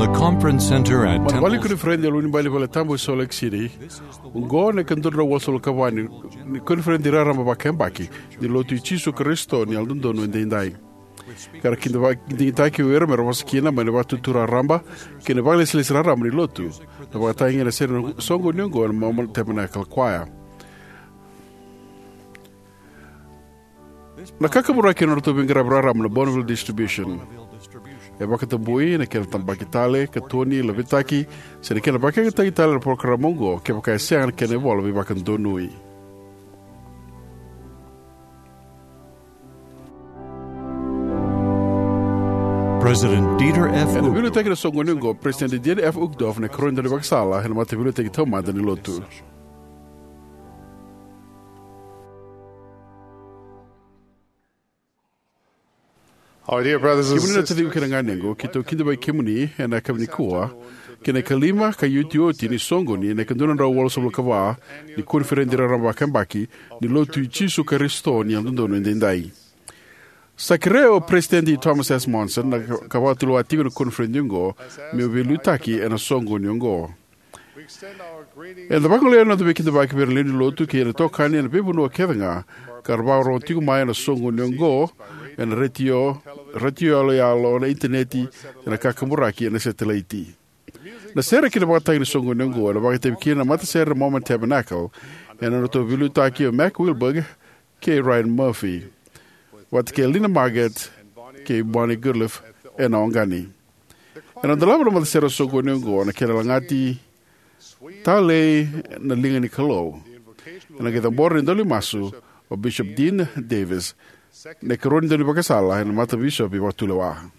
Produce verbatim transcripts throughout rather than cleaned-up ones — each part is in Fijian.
The conference center at Mana vale ni koniferedi e loma ni bale vale tabu e Salt Lake City. Oqo na ika dua na drau walusagavulu ka va ni koniferedi raraba vakayabaki ni Lotu i Jisu Karisito ni Yalododonu Edaidai. Ka ra kidavaki digitaki o ira me ra vosa kina mai na vakatutu raraba kei na vakalesilesi raraba ni Lotu. Na vakatagi na sere na soqoni oqo na Mormon Tabernacle Choir. Na kakaburaki ena nodratou veiqaravi raraba na Bonneville Distribution. E vakatabui na kena tabaki tale, katoni, lavitaki, se na kena vakayagataki tale na parokaramu oqo kevaka e sega na kena ivola veivakadonui. President Dieter F. Ena veiliutaki na soqoni oqo, President Dieter F. Uchtdorf na ikarua ni daunivakasala ena mataveiliutaki taumada ni Lotu. Our dear brothers and Kemuni na sisters, taciqu kei na ganequ, keitou kidavaki kemuni ena yakavi nikua kei na ikalima ka iotioti ni soqoni ena ika dua na drau walusagavulu ka va ni koniferedi raraba vakayabaki ni Lotu i Jisu Karisito ni Yalododonu Edaidai. Sa kerea o President Thomas S. Monson na ka, ka vakatulewa tiko na koniferedi oqo meu veiliutaki ena soqoni oqo. Eda vagolea na noda veikidavaki vei ira na lewe ni Lotu kei ira na itokani ena veivanua kece ga ka ra vakarorogo tiko mai ena soqoni oqo ena retio, retio yaloyalo, na initaneti, ena kakaburaki, ena setelaiti. Na sere kei na vakatagi ni soqoni oqo ena vakaitavi kina na matasere na Mormon Tabernacle ena nodratou veiliutaki o Mac Wilberg kei Ryan Murphy, vata kei Linda Marget kei Bonnie Goodliffe ena August. Ena dolava na matasere na soqoni oqo na kena lagati Talei na Liga ni Kalou. Ena qai cabora na idaulaimasu o Bishop Dean Davis, na ikarua ni daunivakasala ena matabisopi vakatulewa.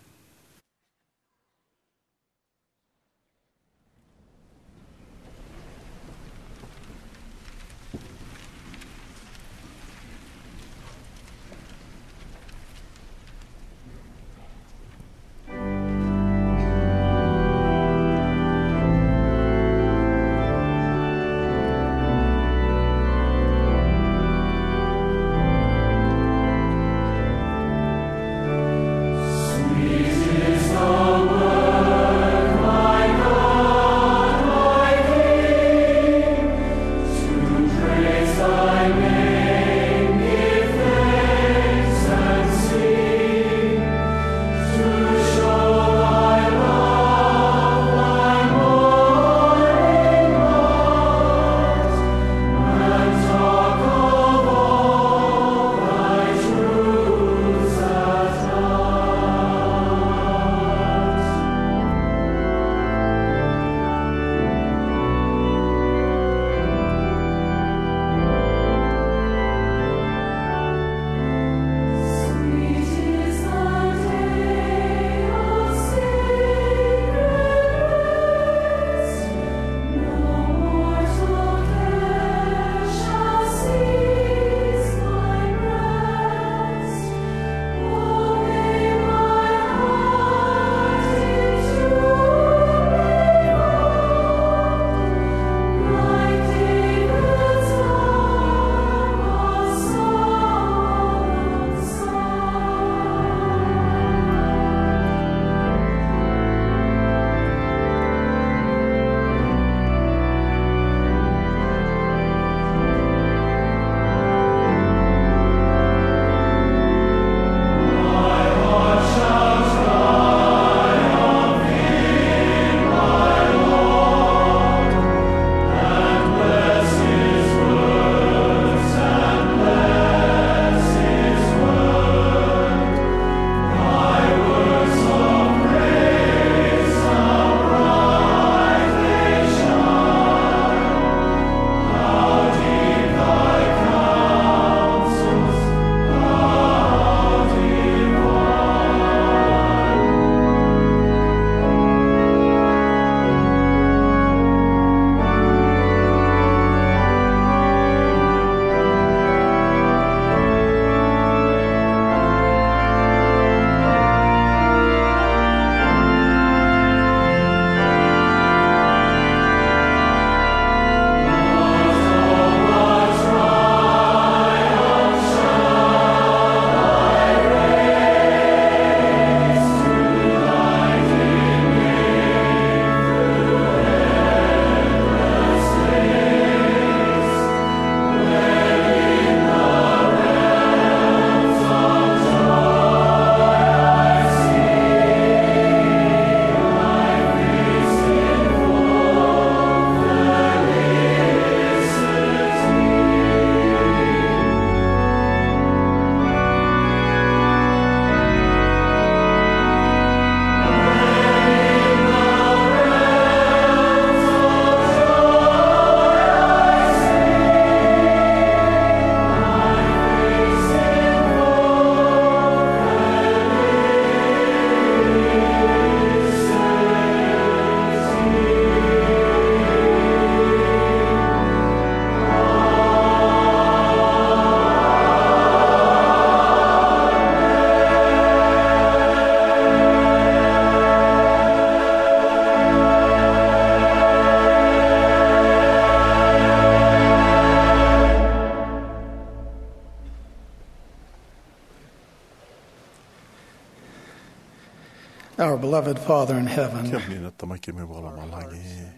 Our beloved Father in heaven, kemuni na Tamai keimami vakalomalagi,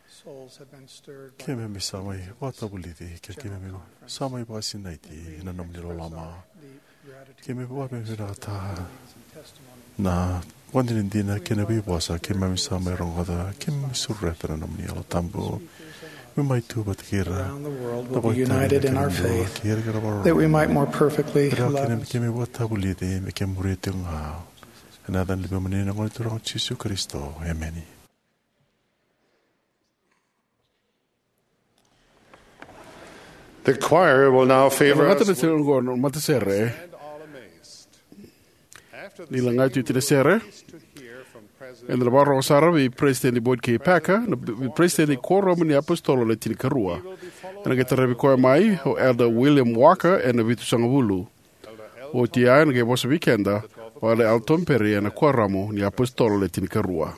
souls have been stirred by keimami sa mai vakatavulici, ke keimami sa mai vakasinaiti ena nomuni loloma. Keimami vakavinavinakataka na vakadinadina kei na veivosa keimami sa mai rogoca. Keimami sureta na nomuni Yalo Tabu me mai tu vata kei ira. Around the world will be united in our faith, that we might more perfectly love. Keimami vakatavulici me keimami muria tiko ga. Ena yaca ni Luvemuni na Gone Turaga o Jisu Karisito. Emeni. The choir will now favor us. Na matasere, na matasere. Ni laga tu ena sere, eda na vakarorogo sara vei President Boyd K. Packer, na vei President ni Kuoramu ni Apositolo Le Tinikarua. Ena qai taravi koya mai o Elder William Walker ena vitusagavulu. Oti ya ena qai vosa vei keda o Elder Elton Perry ena Kuoramu ni Apositolo Le Tinikarua.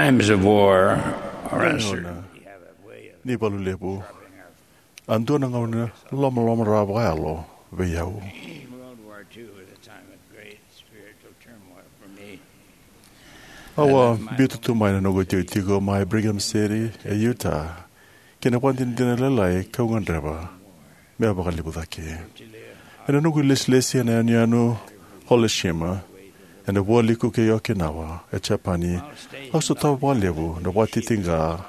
Times of war are uncertain. Ni valu levu. A dua na gauna lomaloma rawa vakayalo vei au. World War Two was a time of great spiritual turmoil for me. Au a biuta tu mai na noqu itikotiko mai Brigham City e Utah kei na vakadinadina lailai kau gadreva me vakalevu cake. Ena noqu ilesilesi ena yanuyanu Holeshima, ena vualiku kei Okinawa e Japani, au sotava vakalevu na vakatitiqa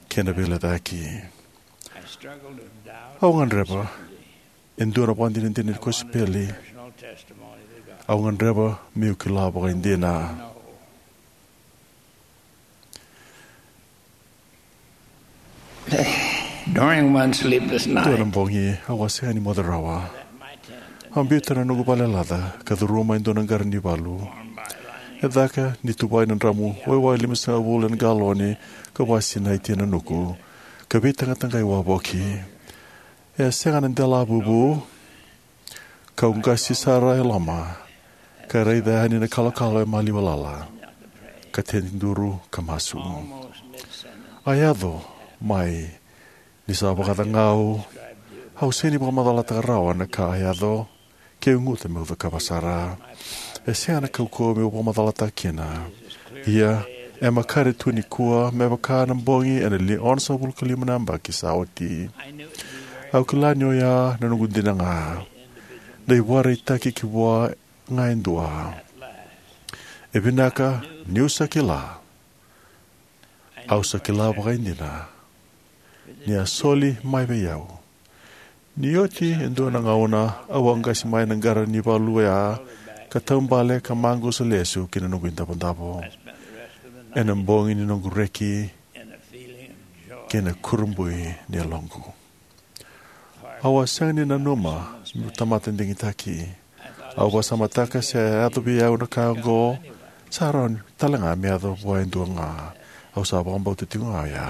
kei na veilecayaki. Au gadreva e dua na vakadinadina ni kosipeli. Au gadreva meu kila vakaidina. During one sleepless night, dua na bogi au a sega ni moce rawa. Au biuta na noqu vale laca ka curuma e dua na qara ni valu. E caka ni tuvai na dramu waiwai limasagavulu ena galoni ka vakasinaiti ena nuku ka veitaqataqai wavoki. E a sega na dela vuvu. Kau qasi sara e loma ka raica yani na kalokalo e maliwa lala ka tediduru ka masu. A yaco mai ni sa vakacagau. Au sega ni vakamacalataka rawa na ka a yaco. Keu guta meu cakava sara. E sega na kaukauwa meu vakamacalataka kina. Ia e makare tu nikua me vaka na bogi ena li onosagavulu ka lima na yabaki sa oti. Au kila ni oya na noqu dina ga. Na ivakaraitaki ki vua ga e dua. E vinaka niu sa kila. Au sa kila vakaidina ni a soli mai vei au. Ni oti e dua na gauna au a qasi mai na qara ni valu oya ka taubale ka maqusa lesu ki na noqu idavodavo. Ena bogi ni noqu reki kei na kurabui ni yaloqu. Au a sega ni nanuma meu tamata digitaki. Au vakasamataka se a yaco vei au na ka oqo, sa rawa tale ga me yaco vua e dua ga. Au sa vakabauta tiko ga oya.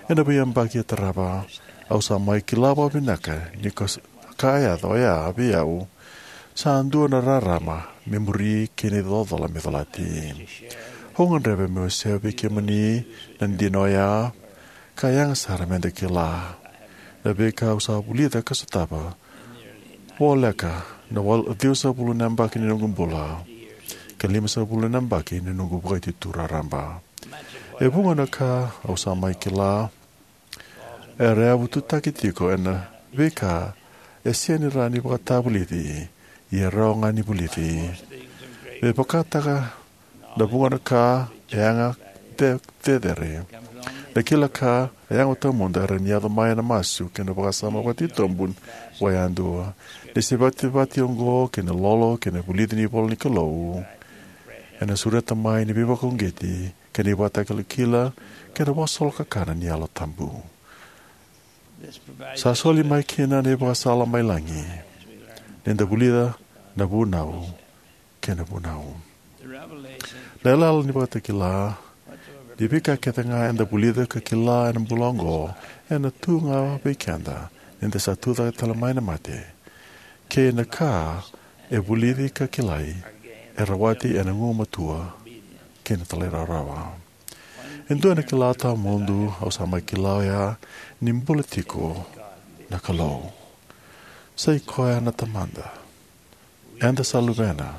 Ena veiyabaki e tarava, au sa mai kila vakavinaka ni ka s-, ka a yaco oya vei au sa dua na rarama me muri kei na icolacola me colati. Au gadreva meu wasea vei kemuni na dina oya, ka yaga sara meda kila na veika au sa vulica ka sotava voleka na wal-, ciwasagavulu na yabaki ni noqu bula ka limasagavulu na yabaki ni noqu vakaitutu raraba. E vuqa na ka au sa mai kila era yavututaki tiko ena veika e sega ni rawa ni vakatavulici, ia e rawa ga ni vulici. Me vakataka na vuqa na ka e yaga ce-, cecere. Na kila ka e yaga tawamudu era ni yaco mai ena masu kei na vakasama vakatitobu vakayadua. Ni se vativati oqo kei na lolo kei na vulici ni ivola ni Kalou ena sureta mai ni veivakauqeti kei na ivakatakilakila kei na vakasolokakana ni Yalo Tabu. Sa soli mai kina na ivakasala mai lagi ni da vulica na vunau kei na vunau. Na yalayala ni vakatakila ni veika kece ga eda vulica ka kila ena bula oqo ena tu ga vei keda ni da sa tucake tale mai na mate, kei na ka e vulici ka kilai e rawati ena gugumatua kei na talairawarawa. E dua na kila tawamudu au sa mai kila oya ni bula tiko na Kalou. Sa i koya na Tamada. Eda sa luvena.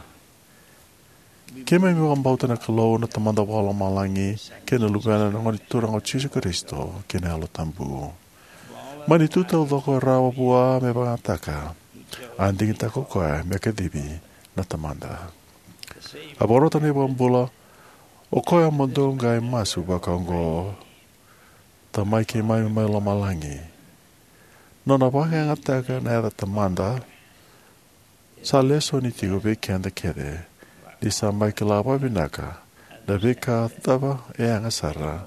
Keimami vakabauta na Kalou na Tamada Vakalomalagi kei na Luvena na Gone Turaga o Jisu Karisito kei na Yalo Tabu. Mai na itutu taucoko e rawa vua me vakayagataka, a digitaka o koya me kacivi na Tamada. A vakarota na iVakabula, o koya mo dou qai masu vakaoqo: Tamai keimami mai lomalagi, nona vakayagataka na yaca Tamada sa lesoni tiko vei keda kece ni sa mai kila vakavinaka na veika cava e yaga sara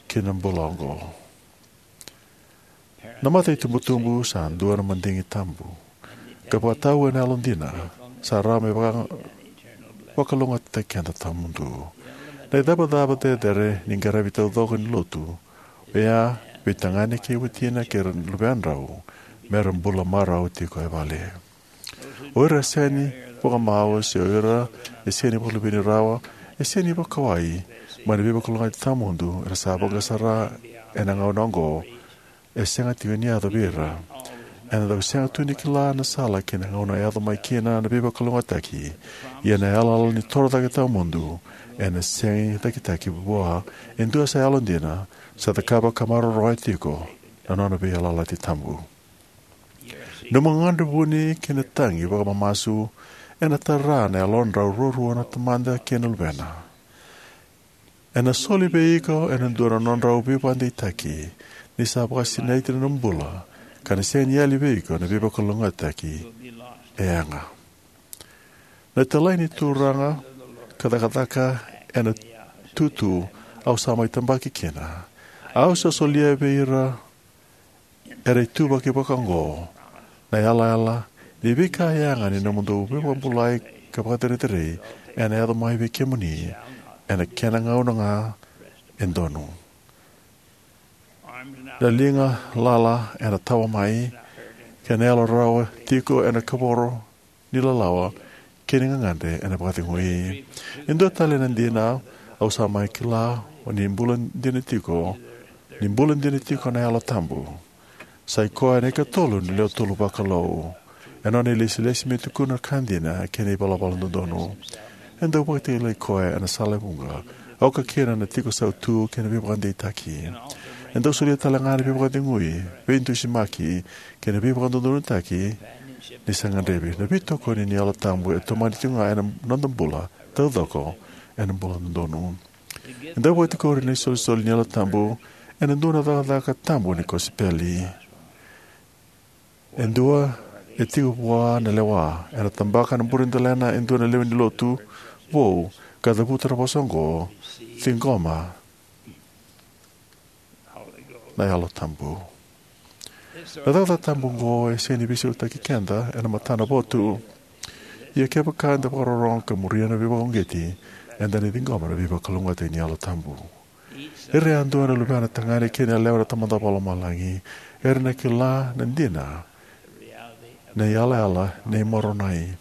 ki na bula oqo. Na mata itubutubu sa dua na madigi tabu, ka vakatau ena yalodina sa rawa me vaka-, vakalougatataki keda tawamudu. Na icavacava cecere ni qaravi taucoko ni lotu oya vei tagane kei watina kei ira na luvedrau me ra bula marau tiko e vale. O ira e sega ni vakamau se o ira e sega ni vakaluveni rawa e sega ni vakawai mai na veivakalougatataki tawamudu era sa vaqara sara ena gauna oqo, e sega tiko ni yaco vei ira. Eda dau sega tu ni kila na sala kei na gauna e yaco mai kina na veivakalougatataki, ia na yalayala ni torocake tawamudu ena sega ni cakitaki vua e dua sa yalodina, sa cakava ka maroroya tiko na nona veiyalayalati tabu. Nomu gagadre vuni kei na tagi vakamamasu ena tara na yalodrau ruarua na Tamada kei na Luvena. Ena soli vei iko e dua na nodrau veivakadeitaki ni sa vakasinaiti na nomu bula, ka na sega ni yali vei iko na veivakalougatataki e yaga. Na italai ni Turaga ka cakacaka ena tutu au sa mai tabaki kina. Au sa solia vei ira era ituvaki vakaoqo na yalayala ni veika yaga ni nomudou veivakabulai ka vakacerecerei ena yaco mai vei kemuni ena kena gauna ga e donu. Na liga lala ena tawa mai, kei na yalo rawa tiko ena kavoro ni lalawa kei na gagadre ena vakacegui. E dua tale na dina au sa mai kila, o ni bula dina tiko, ni bula dina tiko na Yalo Tabu. Sa i koya na ikatolu ni lewe tolu vakalou, ena nona ilesilesi me tukuna na ka dina kei na ivalavala dodonu. E dau vakatakilai koya ena sala e vuqa, oka kina na tiko sautu kei na veivakadeitaki. E dau solia tale ga na veivakacegui, veidusimaki, kei na veivakadodonutaki ni sa gadrevi. Na veitokoni ni Yalo Tabu e tomani tiko ga ena noda bula taucoko ena bula dodonu. E dau vakatikori na isolisoli ni Yalo Tabu ena dua na cakacaka tabu ni kosipeli. E dua e tiko vua na lewa, ena tabaka na buredelena e dua na lewe ni lotu vou ka cavuta na vosa oqo: Ciqoma na Yalo Tabu. Na cakacaka tabu oqo e sega ni veisautaki keda ena matana votu. Ia kevaka eda vakarorogo ka muria na veivakauqeti, eda na ciqoma na veivakalougatataki ni Yalo Tabu. Ira yadua na luvena tagane kei na yalewa na Tamada Vakalomalagi era na kila na dina ni yalayala nei Moronai.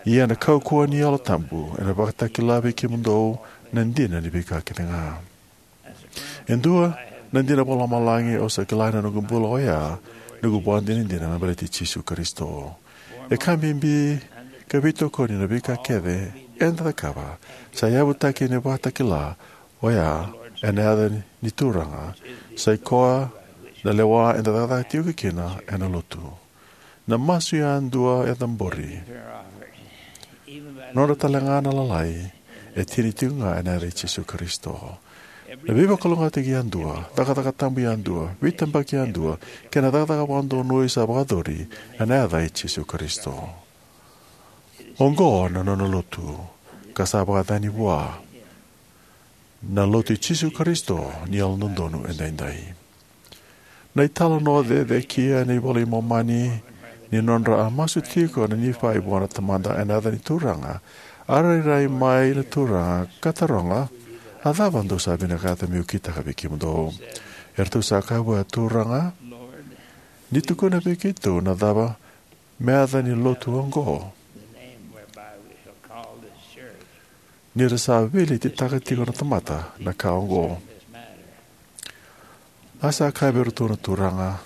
Ia na kaukauwa ni Yalo Tabu ena vakatakila vei kemudou na dina ni veika kece ga. E dua na dina vakalomalagi au sa kila ena noqu bula oya noqu ivakadinadina me baleti Jisu Karisito. E ka bibi ka veitokoni na veika kece eda cakava sa yavutaki ena vakatakila oya ena yaca ni Turaga, sa i koya na lewa eda cakacaka tiko kina ena Lotu. Na masu yadua e cabori, nodra talega na lalai, e tini tiko ga ena yaca i Jisu Karisito. Na veivakalougatataki yadua, cakacaka tabu yadua, veitabaki yadua, kei na cakacaka vakadonui sa vakayacori ena yaca i Jisu Karisito. Oqo na nona Lotu, ka sa vakayacani vua, na Lotu i Jisu Karisito ni Yalododonu Edaidai. Na italanoa cecekia ena iVola i Momani ni nodra a masu tiko na Nifai vua na Tamada ena yaca ni Turaga, a rairai mai na Turaga ka taroga: A cava dou sa vinakata meu kitaka vei kemudou? Eratou sa kaya vua: Turaga, ni tukuna vei keitou na cava me yaca ni lotu oqo, ni ra sa veiletitaka tiko na tamata na ka oqo. A sa kaya vei iratou na Turaga: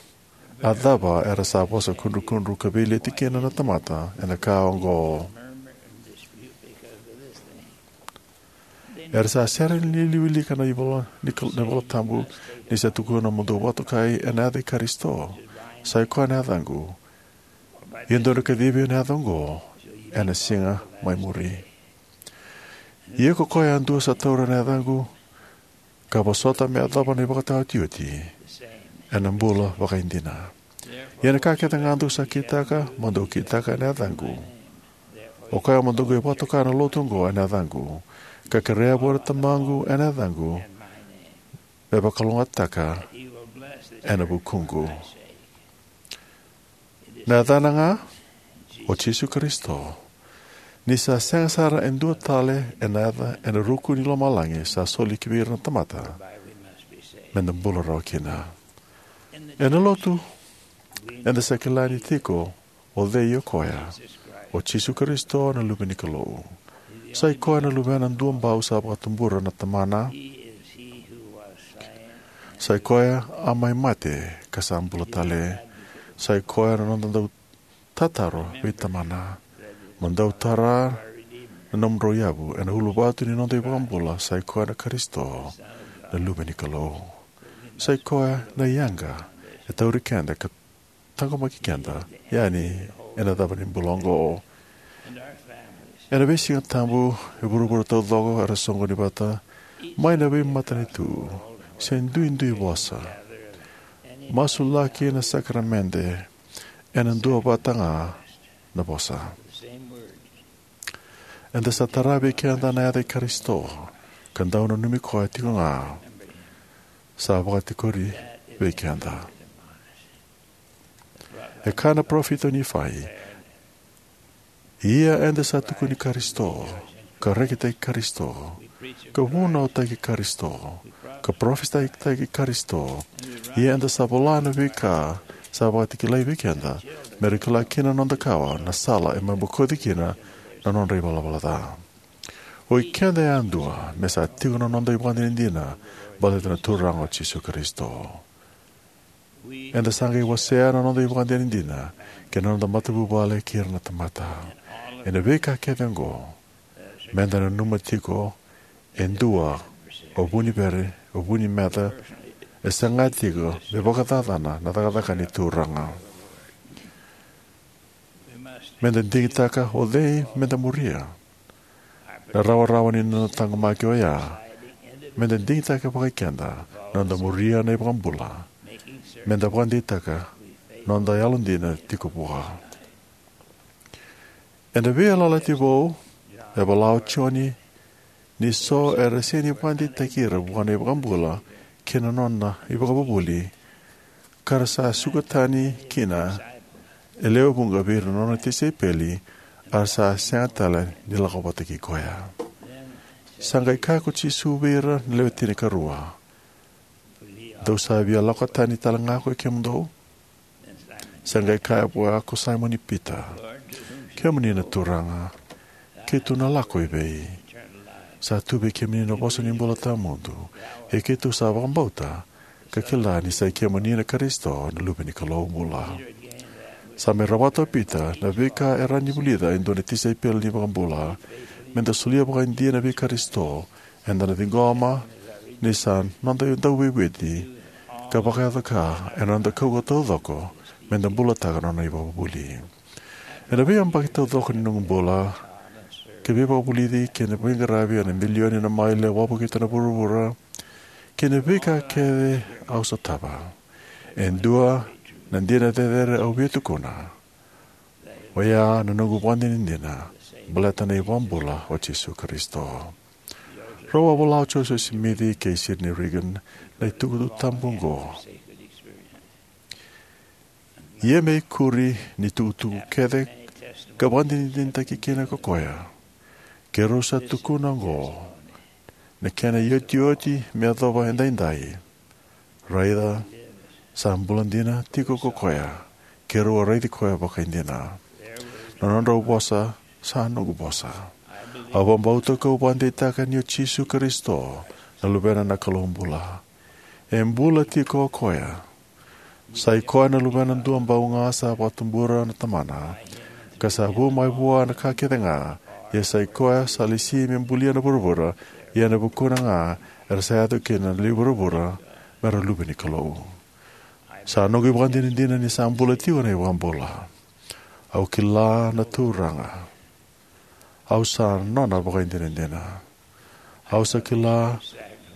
A cava era sa vosa kudrukudru ka veileti kina na tamata ena ka oqo? Era sa sere ni wilika na ivola ni kal-, na iVola Tabu, ni sa tukuna mo dou vakatokai ena yaca i Karisito, sa i koya na yacaqu. Ia dou na kacivi ena yaca oqo ena siga mai muri. Ia ko koya yadua sa taura na yacaqu, ka vosota me yacova na ivakataotioti, ena bula vakaidina. Ia na ka kece ga dou sa kitaka, mo dou kitaka ena yacaqu. O koya mo dou qai vakatoka na lotu oqo ena yacaqu, ka kerea vua na Tamaqu ena yacaqu, me vakalougatataka ena vukuqu. Na yacana ga o Jisu Karisito. Ni sa sega sara e dua tale ena yaca ena ruku ni lomalagi sa soli ki vei ira na tamata, me da bula rawa kina. Ena lotu, eda sa kila ni tiko o cei o koya, o Jisu Karisito na Luve ni Kalou. Sa i koya na Luvena duabau sa vakatubura na Tamana. Sa i koya a mai mate ka sa bula tale. Sa i koya na noda dau tataro vei Tamana: Mo dou tara na nomudrau yavu. Ena uluvatu ni noda iVakabula, sa i koya na Karisito, na Luve ni Kalou. Sa i koya na yaqa e tauri keda ka taqomaki keda yani ena cava ni bula oqo. Ena veisiga Tabu, e vuravura taucoko era soqoni vata mai na veimatanitu se duidui vosa, masulaki na sakaramede ena dua vata ga na vosa. Eda sa tara vei keda na yaca i Karisito ka dau nanumi koya tiko ga sa vakatikori vei keda. E kaya na parofita o Nifai: Ia eda sa tukuni Karisito, ka rekitaki Karisito, ka vunautaki Karisito, ka parofisai Karisito. Ia eda sa vola na veika sa vakatakilai vei keda, me ra kila kina na noda kawa na sala e mai bokoci kina na nodra ivalavala ca. O i keda yadua me sa tiko na noda ivakadinadina baleta na Turaga o Jisu Karisito. Eda sa qai wasea na noda ivakadinadina kei na noda matavuvale kei ira na tamata. Ena veika kece oqo, meda nanuma tiko e dua o vu ni vere, o vu ni meca, e saga tiko me vakacacana na cakacaka ni Turaga. Meda digitaka o cei meda muria. Na rawarawa ni noda taqomaki oya, meda digitaka vakai keda na noda muria na iVakabula, meda vakadeitaka noda yalodina tiko vua. Ena Veiyalayalati Vou, e vola o Joni ni so era sega ni vakadeitaki ira vua na iVakabula kei na nona ivakavuvuli, ka ra sa suka tani kina e lewe vuqa vei ira na nona tisaipeli, a ra sa sega tale ni lako vata kei koya. Sa qai kaya ko Jisu vei ira na lewe tinikarua: Dou sa via lako tani tale ga ko i kemudou? Sa qai kaya vua ko Saimoni Pita: Kemuni na Turaga, keitou na lako i vei? Sa tu vei kemuni na vosa ni bula tawamudu, ia keitou sa vakabauta ka kila ni sa i kemuni na Karisito, na Luve ni Kalou bula. Sa mai rawata o Pita na veika e rawa ni vulica e dua na tisaipeli ni iVakabula. Meda solia vakaidina vei Karisito, eda na ciqoma ni sa noda dauveivueti ka vakayaco ka ena noda kaukaua taucoko meda bulataka na nona ivakavuvuli. Ena veiyabaki taucoko ni noqu bula, ka veivakavulici kei na veiqaravi ena milioni na maile au a vakavulica na vuravura kei na veika kece au sotava, e dua na dina cecere au via tukuna, oya na noqu vakadinadina baleta na iVakabula o Jisu Karisito. Rau a vola o Joseph Smith kei Sidney Rigdon na itukutuku tabu oqo: Ia me ikuri ni itukutuku kece ka vakadinadinataki kina ko koya, keirau sa tukuna oqo na kena iotioti me yacova edaidai: Raica, sa bula dina tiko ko koya, keirau a raici koya vakaidina. Na nodrau vosa sa noqu vosa. Au vakabauta kau vakadeitaka ni o Jisu Karisito na Luvena na Kalou bula. E bula tiko o koya. Sa i koya na Luvena duabau ga sa vakatubura na Tamana, ka sa vu mai vua na ka kece ga. Ia sa i koya sa lesi me bulia na vuravura, ia ena vukuna ga era sa yaco kina na lewe i vuravura me ra luve ni Kalou. Sa noqu ivakadinadina ni sa bula tiko na iVakabula. Au kila na Turaga. Au sa nona vakaidinadina. Au sa kila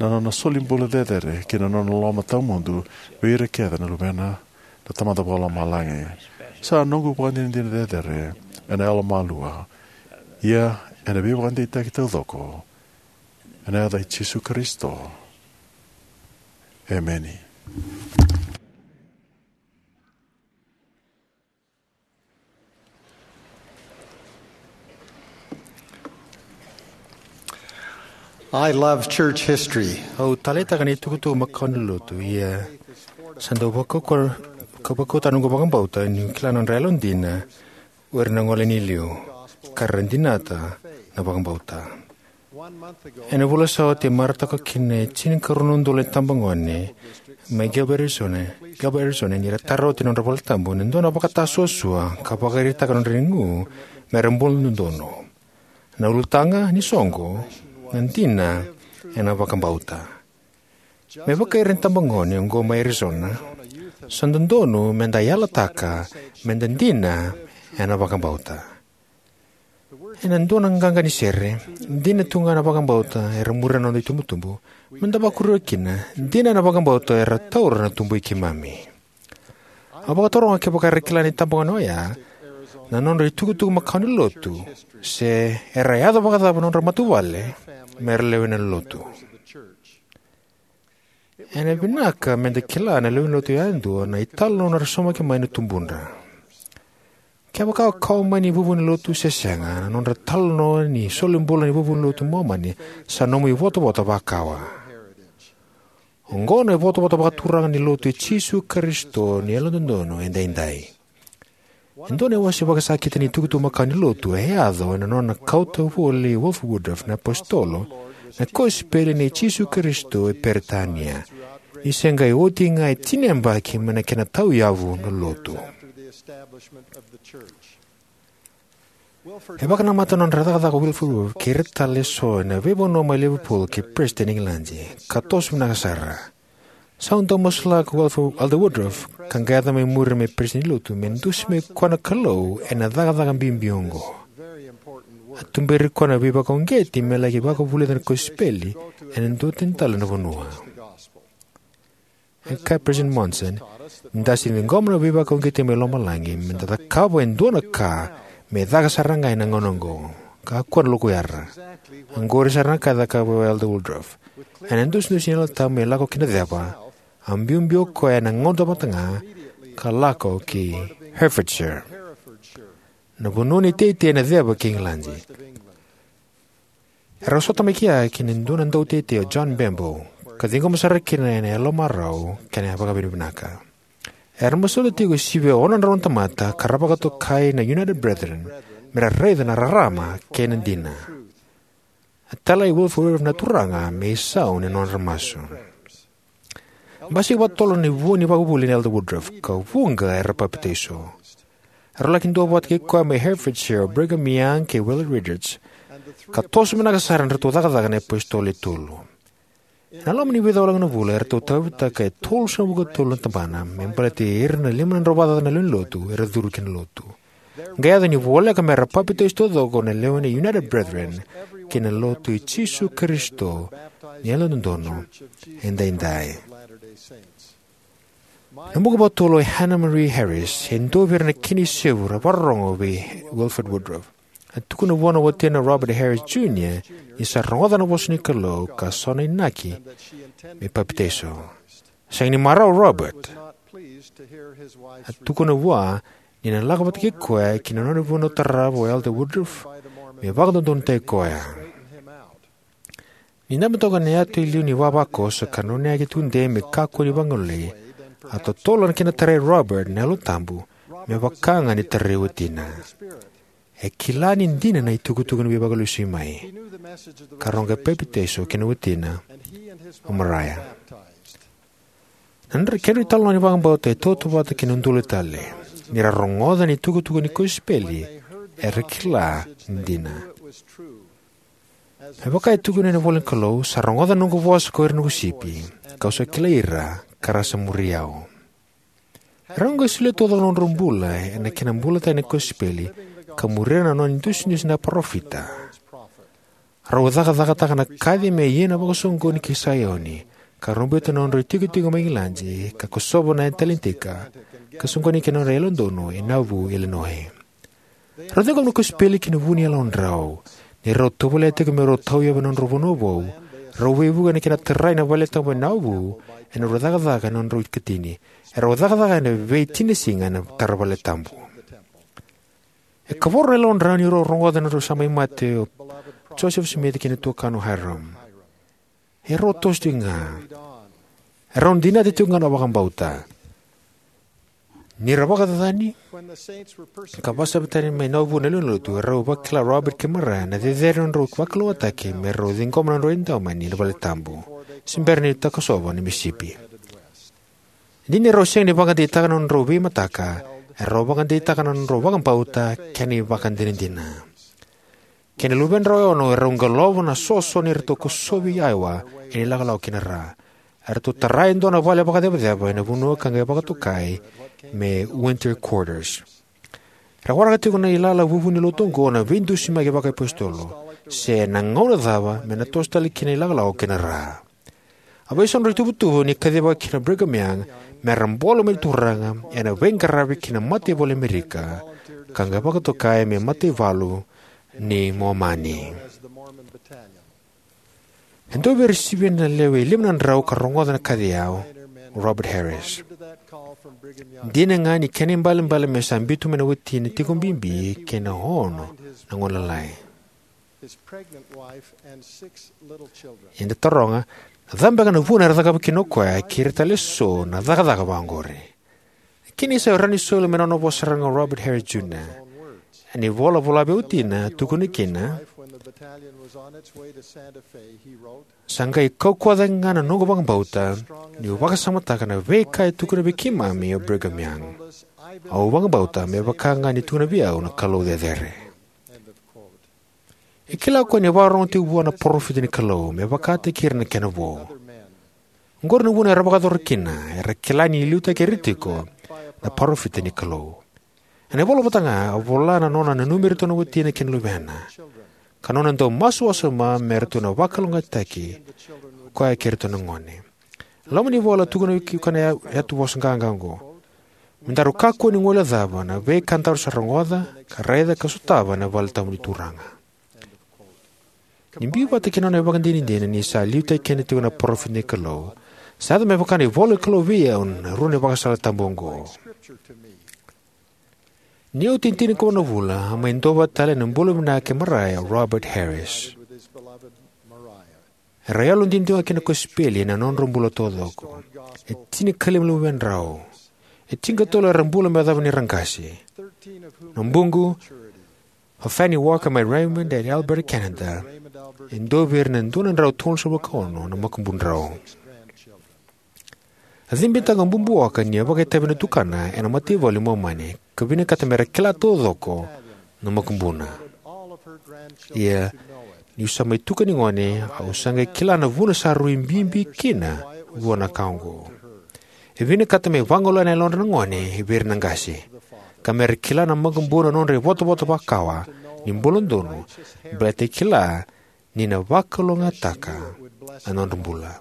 na nona solibula cecere kei na nona loloma tawamudu vei ira kece na luvena na Tamada Vakalomalagi. Sa noqu ivakadinadina cecere ena yalomalua, ia ena veivakadeitaki taucoko, ena yaca i Jisu Karisito. Emeni. I love church history. Au taleitaka na itukutuku makawa ni lotu, ia sa dau vakauka, vakauta noqu vakabauta niu kila na nodra yalodina o ira na gone ni liu, ka ra dinata na vakabauta. Ena vula sa oti, e marautaka kina e tinikarua na udolu na itabagone mai Gilbert, Arizona, Gilbert, Arizona, ni ra tara oti na nodra valetabu ena dua na vakatasuasua ka vakaraitaka na nodra igu me ra bula dodonu. Na ulutaga ni soqo, na dina ena vakabauta. Me vaka ira na itabagone oqo mai Arizona, sa dodonu me da yalataka me da dina ena vakabauta. Ena dua na qaqa ni sere, dina tu ga na vakabauta era muria na noda itubutubu, me da vakuriva kina, dina na vakabauta era taura na tubui keimami. Au vakataroga kevaka era kila na itabagone oya na nodra itukutuku makawa ni lotu, se era yaco vakacava na nodra matavuvale me ra lewena na lotu. Ena vinaka me da kila na lewe ni lotu yadua na italanoa era saumaki mai na tubudra. Kevaka o kau mai ni vuvu ni lotu se sega, na nodra talanoa ni solibula ni vuvu ni lotu Momani sa nomu ivotavota vakawa. Oqo na ivotavota vakaturaga ni lotu i Jisu Karisito ni Yalododonu Edaidai. E dua na iwase vakasakiti ni tukutuku makawa ni lotu e yaco ena nona kauta voli Wilford Woodruff na iApositolo na kosipeli nei Jisu Karisito e Peritania, ni se qai oti ga e tini na yabaki mai na kena tauyavu na lotu. E vakanamata na nodra cakacaka o Wilford Woodruff kei ira tale eso ena veivanua mai Liverpool kei Preston, Igiladi, ka toso vinaka sara. Sa dau masulaka o Elder Woodruff ka qai yaco mai muri me peresitedi ni lotu, me dusimaki koya na Kalou ena cakacaka bibi oqo. A tuberi koya na veivakauqeti me laki vakavulica na kosipeli ena dua tani tale na vanua. E kaya o President Monson ni da se ciqoma na veivakauqeti mai lomalagi, me da cakava e dua na ka me caka sara ga ena gauna oqo, ka kua na lokuyara. Oqori sara na ka e cakava o Elder Woodruff. Ena idusidusi ni Yalo Tabu me lako ki na ceva, a biubiu o koya ena gauna tamata ga ka lako ki Herefordshire, na vanua ni teitei ena ceva kei Igiladi. Erau sota mai kea kei na dua na dauteitei o John Bembo, ka ciqoma sara kina ena yalomarau kei na vakavinavinaka. Era masulaka tiko e sivia ono na drau na tamata ka ra vakatokai na United Brethren me ra raica na rarama kei na dina. A talai Wilford Woodruff na Turaga me isau ni nodra masu. Basika vakatotolo na ivua ni ivakavuvuli nei Elder Woodruff, ka vuqa era papitaiso. Era laki duavata kei koya mai Herefordshire o Brigham Young kei Willard Richards, ka toso vinaka sara na nodratou cakacaka na iapositolo e tolu. Ena loma ni vica walega na vula, eratou tauyavutaka e tolusagavulu ka tolu na tabana me baleti ira na lima na drau vakacaca na lewe ni lotu era curu ki na lotu. Qai yaco ni voleka me ra papitaiso taucoko na lewe ni United Brethren ki na Lotu i Jisu Karisito ni Yalododonu Edaidai. Na buka vakatolu o Hannah Marie Harris e dua vei ira na kena isevu era vakarorogo vei Wilford Woodruff. A tukuna vua na watina o Robert Harris Junior ni sa rogoca na vosa ni Kalou ka so na inaki me papitaiso. Sega ni marau o Robert. A tukuna vua ni na lako vata kei koya ki na nona vanua tarava o Elder Woodruff me vakadodonutaki koya. Ni dabe toka ena yatu e liu ni vavakoso ka nona yaki tudei me kakua ni vagalolei, a totolo na kena tarai Robert na Yalo Tabu me vaka ga ni tarai watina. E kila ni dina na itukutuku ni Veivakalesuimai, ka rau qai papitaiso kei na watina o Maria. Na kedra italanoa ni vakabauta e tautauvata kei na udolu tale. Ni ra rogoca na itukutuku ni kosipeli, era kila ni dina. Me vaka e tukuna ena ivola ni Kalou, sa rogoca na noqu vosa ko ira na noqu sipi, kau sa kilai ira, ka ra sa muri au. Erau qai solia taucoko na nodrau bula ena kena bulataki na kosipeli, ka muria na nona idusidusi na parofita. Rau cakacakataka na kaci me ia na vakasoqoni ki Saioni, ka rau biuta na nodrau itikotiko mai Igiladi, ka kosova na Atlantika, ka soqoni ki na nodra yalododonu e Nauvoo, Illinois. Rau ciqoma na kosipeli ki na vu ni yalodrau. Ni rau tovolea tiko me rau tauyavu ena nodrau vanua vou, rau veivuke ena kena tarai na valetabu e Nauvoo ena nodrau cakacaka ena nodrau ikatini. Erau cakacaka ena veitini na siga ena tara valetabu. E kavoro na yalodrau ni rau rogoca na nodrau sa mai mate o Joseph Smith kei na tuakana o Hyrum. Erau toso tiko ga. Erau dinata tiko ga na vakabauta. Ni ra vakacacani ka vakasavasavataki mai na vuvu na lewenilotu, erau vakila o Robert kei Mariah na cecere ni nodrau vakalougatataki me rau ciqoma na nodrau idaumeni ena valetabu se bera ni takosova na misipi. E dina ni rau sega ni vakadeitaka na nodrau veimataka, erau vakadeitaka na nodrau vakabauta kei na ivakadinadina. Kei na luvedrau e ono, erau qalovi na soso ni ratou kosovi Iowa ena ilakolako ki na ra. Eratou tara e dua na vale vakacevaceva ena vanua ka qai vakatokai me Winter Quarters. Era waraka tiko na ilala vuvu ni lotu oqo na veidusimaki vakaiapositolo, se na gauna cava me na toso tale kina na ilakolako ki na ra. A veisautaka na ituvatuva ni kacivaki na Brigham Young me ra bula mai na Turaga ena veiqaravi ki na mataivalu e Amerika, ka qai vakatokai me mataivalu ni Momani. E dua vei ira sivia na lewe e lima na drau ka rogoca na kaci oya o Robert Harris. Dina ga ni kena ibalebale me sa biuta mai na watina tiko bibi kei na ono na gone lalai. Eda taroga, na cava beka na vuna era cakava kina o koya kei ira tale eso na cakacaka vaqori? Kena isau e rawa ni soli mai na nona vosa sara ga o Robert Harris Junior. Ena ivola vola vei watina, tukuna kina: Sa qai kaukauwa cake ga na noqu vakabauta niu vakasamataka na veika e tukuna vei keimami o Brigham Young. Au vakabauta me vaka ga ni tukuna vei au na Kalou cecere. E kila o koya ni vakarorogo tiko vua na parofita ni Kalou me vakataki ira na kena vo. Oqori na vuna era vakayacora kina, era kila ni liutaki ira tiko na parofita ni Kalou. Ena ivola vata ga, a vola na nona nanumi iratou na watina kei na luvena, ka nona dau masu wasoma me ratou na vakalougatataki o koya kei iratou na gone. Loma ni vola, tukuna vei koya na ya-, yatuvosa qaqa oqo: Me daru kakua ni guilecava na veika daru sa rogoca, ka raica, ka sotava ena valetabu ni Turaga. Ni biu vata kei na nona ivakadinadina ni sa liutaki keda tiko na parofita ni Kalou, sa yaco me vaka na ivola ni Kalou vei au na rua na ivakasala tabu oqo. Niu tinikaono na vula, a mai duavata tale ena bula vinaka kei Mariah o Robert Harris. Era yalodina tiko ga ki na kosipeli ena nodra bula taucoko. E tinikalima na luvedrau. E tinikatolu era bula me yacova ni ra qase. Na buqu, o Fanny Walker mai Raymond e Alberta, Canada, e dua vei ira na dua na drau tolusagavulu ka ono na makubudrau. A cibitaka o Bubu Walker ni a vakaitavi na tukana ena mataivalu i Momani, ka vinakata me ra kila taucoko na makubuna. Ia, niu sa mai tuka ni gone, au sa qai kila na vuna sa rui bibi kina vua na ka oqo. E vinakata me vagolea na yalodra na gone vei ira na qase, ka me ra kila na makubuna na nodra ivotavota vakawa ni bula donu, baleta e kila ni na vakalougatataka na nodra bula.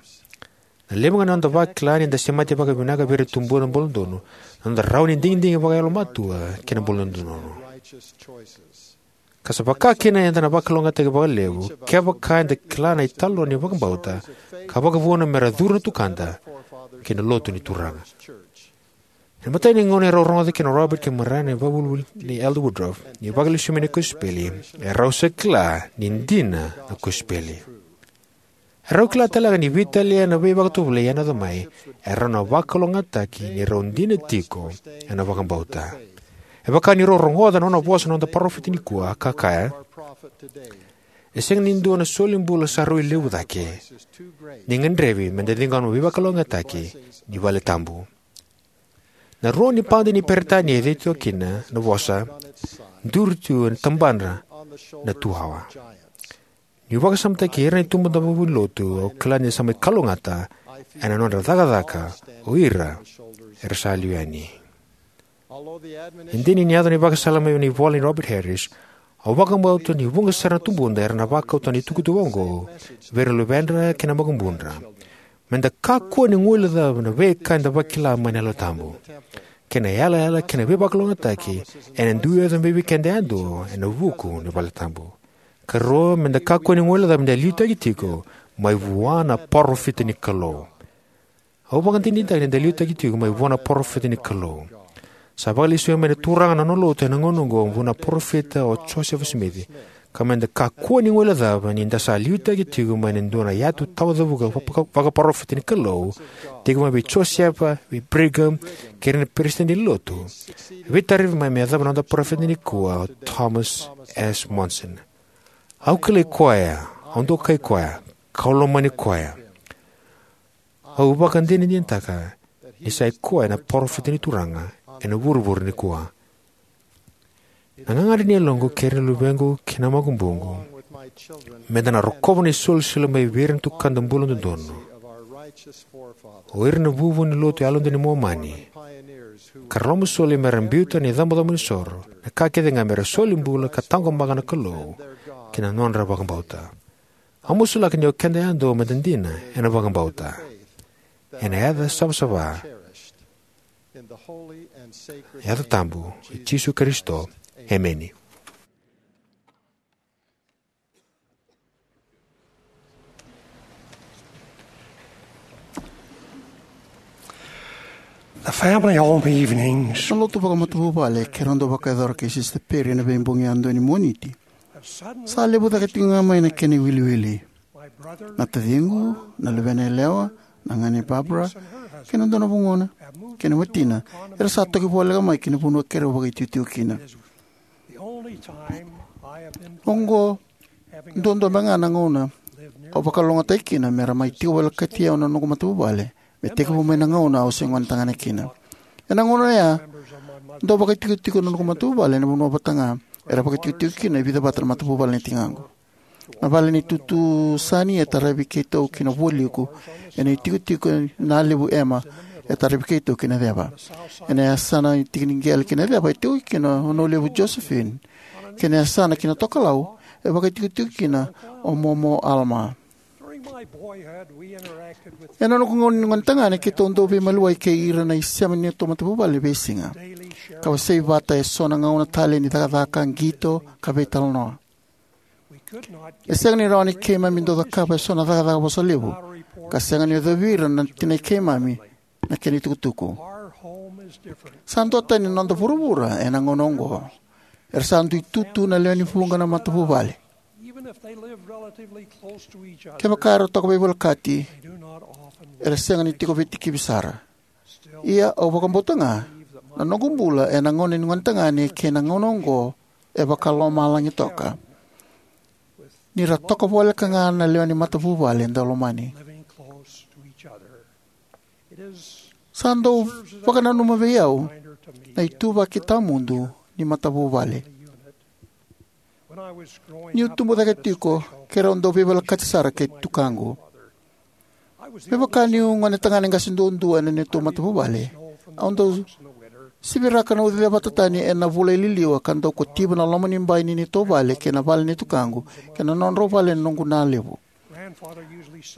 Na levu ga ni noda vakila ni da semati vakavinaka vei ira na tubuda bula donu, na noda rawa ni digidigi vakayalomatua kei na bula dodonu. Ka sa vaka kina eda na vakalougatataki vakalevu kevaka eda kila na italanoa ni vakabauta ka vakavuna me ra curu na tukada ki na lotu ni Turaga. Ena imatai ni gauna erau rogoca kina o Robert kei Mariah na ivakavuvuli nei Elder Woodruff ni Vakalesui mai na kosipeli, erau sa kila ni dina na kosipeli. Erau kila tale ga ni veitalia na veivakatovolei ena yaco mai, erau na vakalougatataki ni rau dina tiko ena vakabauta. E vaka ni rau rogoca na nona vosa na noda parofita nikua, ka kaya: E sega ni dua na solibula sa rui levu cake ni gadrevi me da ciqoma na veivakalougatataki ni valetabu. Na rua ni padi ni Peritania e ceuti kina na vosa, duri tu ena tabadra na tuawa. Niu vakasamataki ira na itubuda vunilotu, au kila ni sa mai kalougata ena nodra cakacaka o ira era sa liu yani. E dina ni yaco na ivakasala mai na ivola nei Robert Harris, au vakabauta ni vuqa sara na tubuda era na vakauta na itukutuku oqo vei ira na luvedra kei na makubudra. Me da kakua ni guilecava na veika eda vakila mai na Yalo Tabu kei na yalayala kei na veivakalougatataki ena dui yaco mai vei keda yadua ena vuku ni valetabu. Ka rua, me da kakua ni guilecava ni da liutaki tiko mai vua na parofita ni Kalou. Au vakadinadinataka ni da liutaki tiko mai vua na parofita ni Kalou. Sa vakalesui mai na Turaga na nona lotu ena gauna oqo vua na parofita o Josefa Simici, Ka meda kakua ni guilecava ni da sa liutaki tiko mai na dua na yatu tawacavuka vaka-, vakaparofita ni Kalou, tiko mai vei Josefa, vei Brigham, kei ira na peresitedi ni lotu. Veitaravi mai me yacova na noda parofita nikua o Thomas S. Monson. Au kilai koya, au dokai koya, kau lomani koya. Au vakadinadinataka ni sa i koya na parofita ni Turaga ena vuravura nikua. Na gagadre ni yaloqu kei ira na luvequ kei na makubuqu, meda na rokova na isolisoli mai vei ira na tukada bula dodonu, o ira na vuvu ni lotu yalodina ni Momani, ka ra lomasoli mera biuta na icabocabo ni soro, na ka kece ga mera soli bula ka taqomaka na Kalou kei na nodra vakabauta. Au masulaka ni o keda yadua meda dina ena vakabauta, ena yaca savasava, yaca tabu i Jisu Karisito. Emeni. The family home evenings. Na lotu vakamatavuvale keirau dau vakayacora kei Sister Perry ena veibogi yadua ni Moniti sa levu cake tiko ga mai na kena iwiliwili. Na taciqu, na luvena yalewa, na gane Barbara, kei na dua na vugona, kei na watina, era sa toki voleka mai ki na vanua keirau vakaitikotiko kina. Oqo duadua beka ga na gauna au vakalougatataki kina mera mai tiko volekati au na noqu matavuvale, me tekivu mai na gauna au se gonetagane kina. Ena gauna oya, dau vakaitikotiko na noqu matavuvale ena vanua vata ga era vakaitikotiko kina e vica vata na matavuvale ni tigaqu. Na vale ni tutu Sani e taravi keitou ki na vualiku, ena itikotiko na Levu Emma e taravi keitou ki na ceva. Ena yasana tiki ni qele ki na ceva e tiko kina o Nolevu Josephine. Kei na yasana ki na tokalau e vakaitikotiko kina o Momo Alma. Ena noqu gauna ni gonetagane, keitou dau veimaliwai kei ira na isema ni neitou matavuvale e veisiga, ka wasei vata eso na gauna talei ni cakacaka, qito, ka veitalanoa. E sega ni rawa ni keimami dau cakava eso na cakacaka vosa levu, ka sega ni yacovi ira na tinai keimami na kena itukutuku. Sa duatani na noda vuravura ena gauna oqo. Era sa dui tutu na lewe ni vuqa na matavuvale. Kevaka era toka veivolekati, era sega ni tiko veitikivi sara. Ia, au vakabauta ga na noqu bula ena gauna ni gonetagane kei na gauna oqo e vakalomalagi toka, ni ra toka voleka ga na lewe ni matavuvale dau lomani. Sa dau vakananuma vei au na ituvaki tawamudu ni matavuvale. Niu tubu cake tiko, keirau dau veivolekati sara kei tukaqu. Me vaka niu gonetagane qase duadua ena neitou matavuvale, au dau siviraka na ucici vata tani ena vula i liliwa ka dau kotiva na loma ni bai ni neitou vale kei na vale ni tukaqu kei na nodrau vale na noqu na levu.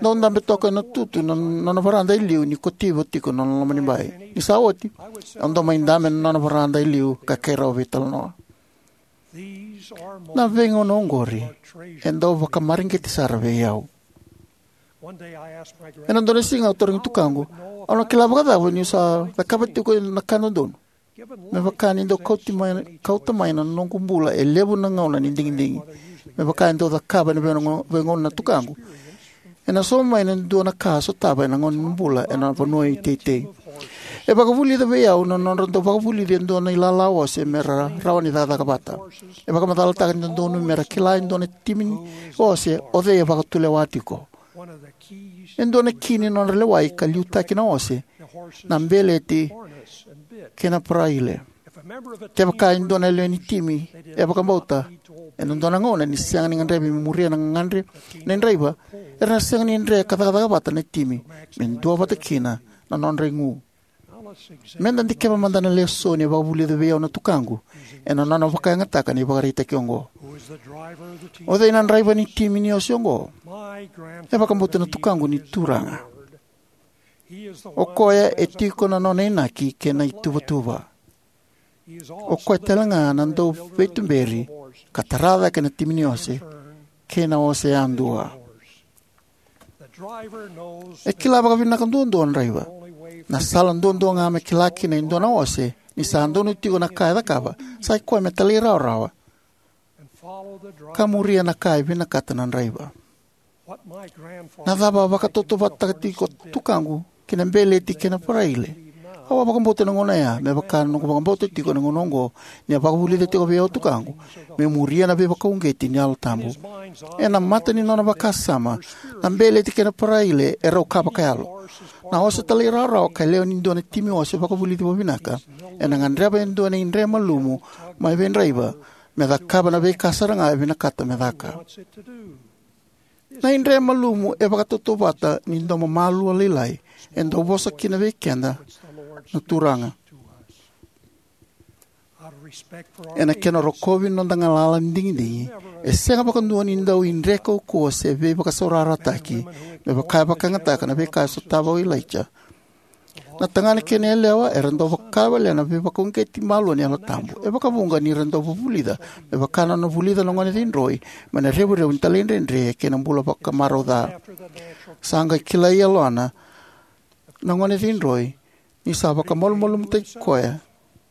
Dau dabe toka ena tutu na nona varada e liu ni kotiva tiko na loma ni bai. Ni sa oti, au dau mai dabe ena nona varada e liu ka keirau veitalanoa. Na veigauna oqori e dau vakamareqeti sara vei au. Ena dua na siga au tarogi tukaqu, au na kila vakacava niu sa cakava tiko na ka dodonu, me vaka ni dau kauti mai, kauta mai na noqu bula e levu na gauna ni digidigi, me vaka e dau cakava ena veigauna, veigauna na tukaqu. Ena sauma mai na dua na ka a sotava ena gauna ni bula ena vanua iteitei. E vakavulica vei au na nodra dau vakavulici e dua na ilala ose me ra rawa ni cakacaka vata. E vakamacalataka ni dodonu me ra kila e dua na timi ni ose o cei e vakatulewa tiko. E dua na ki ni nodra lewai ka liutaki na ose na beleti kei na paraile. Kevaka e dua na lewe ni timi e vakabauta ena dua na gauna ni sega ni gadrevi me muria na gagadre ni draiva, era na sega ni dre ka cakacaka vata na timi me duavata kina na nodra igu. Meda dikeva mada na lesoni e vakavulica vei au na tukaqu ena nona vakayagataka na ivakaraitaki oqo. O cei na draiva ni timi ni ose oqo? E vakabauta na tukaqu ni Turaga. O koya e tiko na nona inaki kei na ituvatuva. O koya tale ga na dauveituberi ka tara cake na timi ni ose kei na ose yadua. E kila vakavinaka duadua na draiva. Na sala duadua ga me kila kina e dua na ose ni sa donu tiko na ka e cakava, sa i koya me talairawarawa ka muria na ka e vinakata na draiva. Na cava a vakatautauvatataka tiko tukaqu ki na beleti kei na paraile? Au a vakabauta na gauna ya, me vaka na noqu vakabauta tiko na gauna oqo, ni a vakavulica tiko vei au tukaqu meu muria na veivakauqeti ni Yalo Tabu. Ena mata ni nona vakasama, na beleti kei na paraile e rau ka vakayalo. Na ose talairawarawa ka lewe ni dua na timi ose vakavulici vakavinaka ena gadreva e dua na idre malumu mai vei draiva me cakava na veika sara ga e vinakata me caka. Na idre malumu e vakatautauvata ni domo malua lailai e dau vosa kina vei keda na Turaga. Ena kena rokovi na noda galala ni digidigi, e sega vakadua ni dau idre kaukauwa se veivakasaurarataki me vaka e vakayagataka na veika e sotava o Ilaija. Na tagane kei na yalewa era dau vakawalena na veivakauqeti malua ni Yalo Tabu. E vakavuqa ni ra dau vulica, me vaka na nona vulica na gone cidroi, mai na revurevu ni talaidredre kei na bula vakamarautaki. Sa qai kilai yalona na gone cidroi ni sa vakamalumalumutaki koya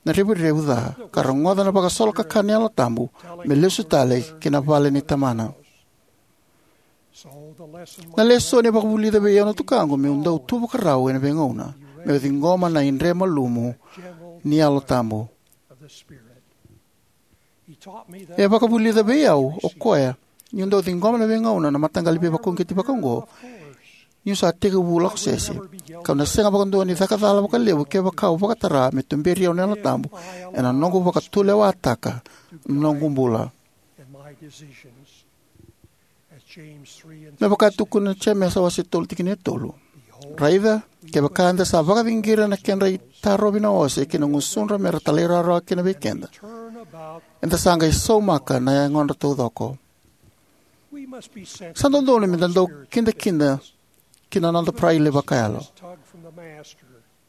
na revurevu ca, ka rogoca na vakasolokakana ni Yalo Tabu me lesu tale ki na vale ni tamana. Na lesoni e vakavulica vei au na tukaqu meu dau tu vakarau ena veigauna meu ciqoma na idre malumu ni Yalo Tabu. E vakavulica vei au o koya niu dau ciqoma na veigauna na mataqali veivakauqeti vakaoqo niu sa tekivu lako sese, kau na sega vakadua ni caka cala vakalevu kevaka au vakatara me tuberi au na Yalo Tabu ena noqu vakatulewataka na noqu bula. Me vaka e tukuna na Jemesa wase tolu tikina e tolu: Raica, kevaka eda sa vakaciqira na kedra itarovi na ose ki na gusudra me ra talairawarawa kina vei keda, eda sa qai saumaka na yagodra taucoko. Sa dodonu meda dau kidakida ki na noda paraile vakayalo.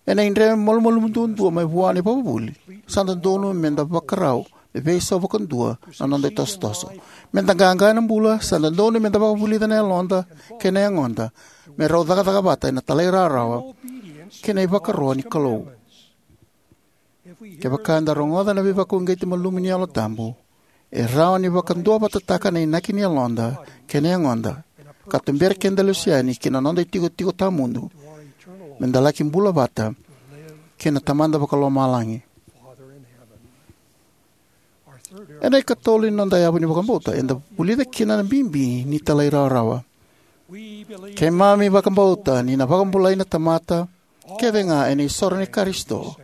Ena idre malumalumu duadua mai vua na ivakavuvuli, sa dodonu meda vakarau me veisau vakadua na noda itosotoso. Meda qaqa ena bula, sa dodonu meda vakavulica na yaloda kei na yagoda me rau cakacaka vata ena talairawarawa kei na ivakaro ni Kalou. Kevaka eda rogoca na veivakauqeti malumu ni Yalo Tabu, e rawa ni vakaduavatataka na inaki ni yaloda kei na yagoda, ka tubera keda lesu yani ki na noda itikotiko tawamudu, meda laki bula vata kei na Tamada Vakalomalagi. Ena ikatolu ni noda yavu ni vakabauta, eda vulica kina na bibi ni talairawarawa. Keimami vakabauta ni na vakabulai na tamata kece ga ena isoro ni Karisito,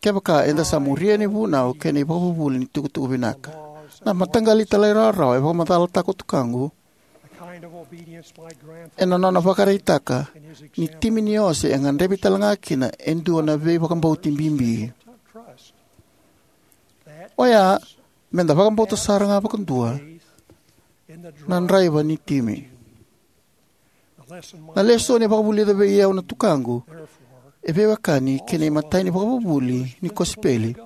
kevaka eda sa muria na ivunau kei na ivakavuvuli ni tukutuku vinaka. Na mataqali talairawarawa e vakamacalataka o tukaqu ena nona vakaraitaka ni timi ni ose e gadrevi talega kina e dua na veivakabauti bibi. Oya, meda vakabauta sara ga vakadua na draiva ni timi. Na lesoni e vakavulica vei au na tukaqu e veiwekani kei na imatai ni vakavuvuli ni kosipeli: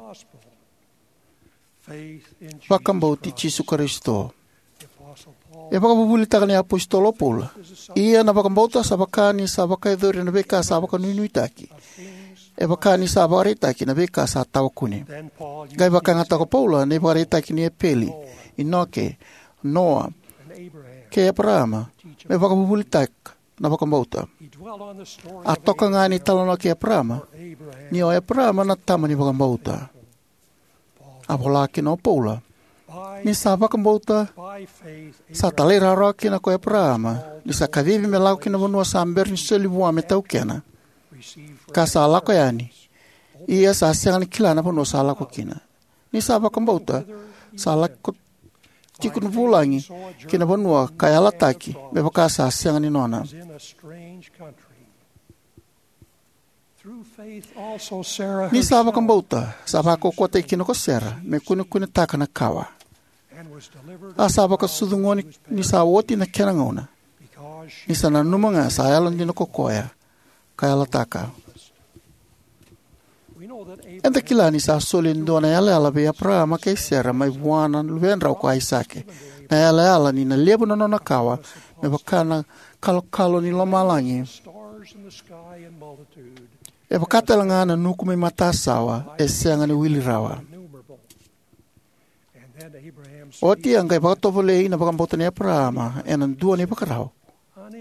vakabauti Jisu Karisito. E vakavuvulitaka na iApositolo o Paula: Ia na vakabauta sa vaka ni sa vakayacori ena veika sa vakanuinuitaki, e vaka ni sa vakaraitaki na veika sa tawakune. Qai vakayagataka o Paula na ivakaraitaki nei Epeli, Inoke, Noa, kei Eparaama me vakavuvulitaka na vakabauta. A toka ga ni talanoa kei Eparaama, ni o Eparaama na tama ni vakabauta. A vola kina o Paula ni sa vakabauta sa talairawarawa kina ko Eparaama, ni sa kacivi me lako ki na vanua sa bera ni soli vua me taukena, ka sa lako yani, ia sa sega ni kila na vanua sa lako kina. Ni sa vakabauta, sa lako tiko na vulagi ki na vanua ka yalataki me vaka sa sega ni nona. Ni sa vakabauta, sa vakaukauwataki kina ko Sera me kunekunetaka na kawa. A sa vakasucu gone ni sa oti na kena gauna, ni sa nanuma ga sa yalodina ko koya ka yalataka. Eda kila ni sa soli e dua na yalayala vei Eparaama kei Sera mai vua na luvedrau ko Aisake. Na yalayala ni na levu na nona kawa me vaka na kalokalo ni lomalagi, e vaka talega na nuku mai matasawa e sega ni wili rawa. Oti a qai vakatovolei na vakabauta nei Eparaama ena dua na ivakarau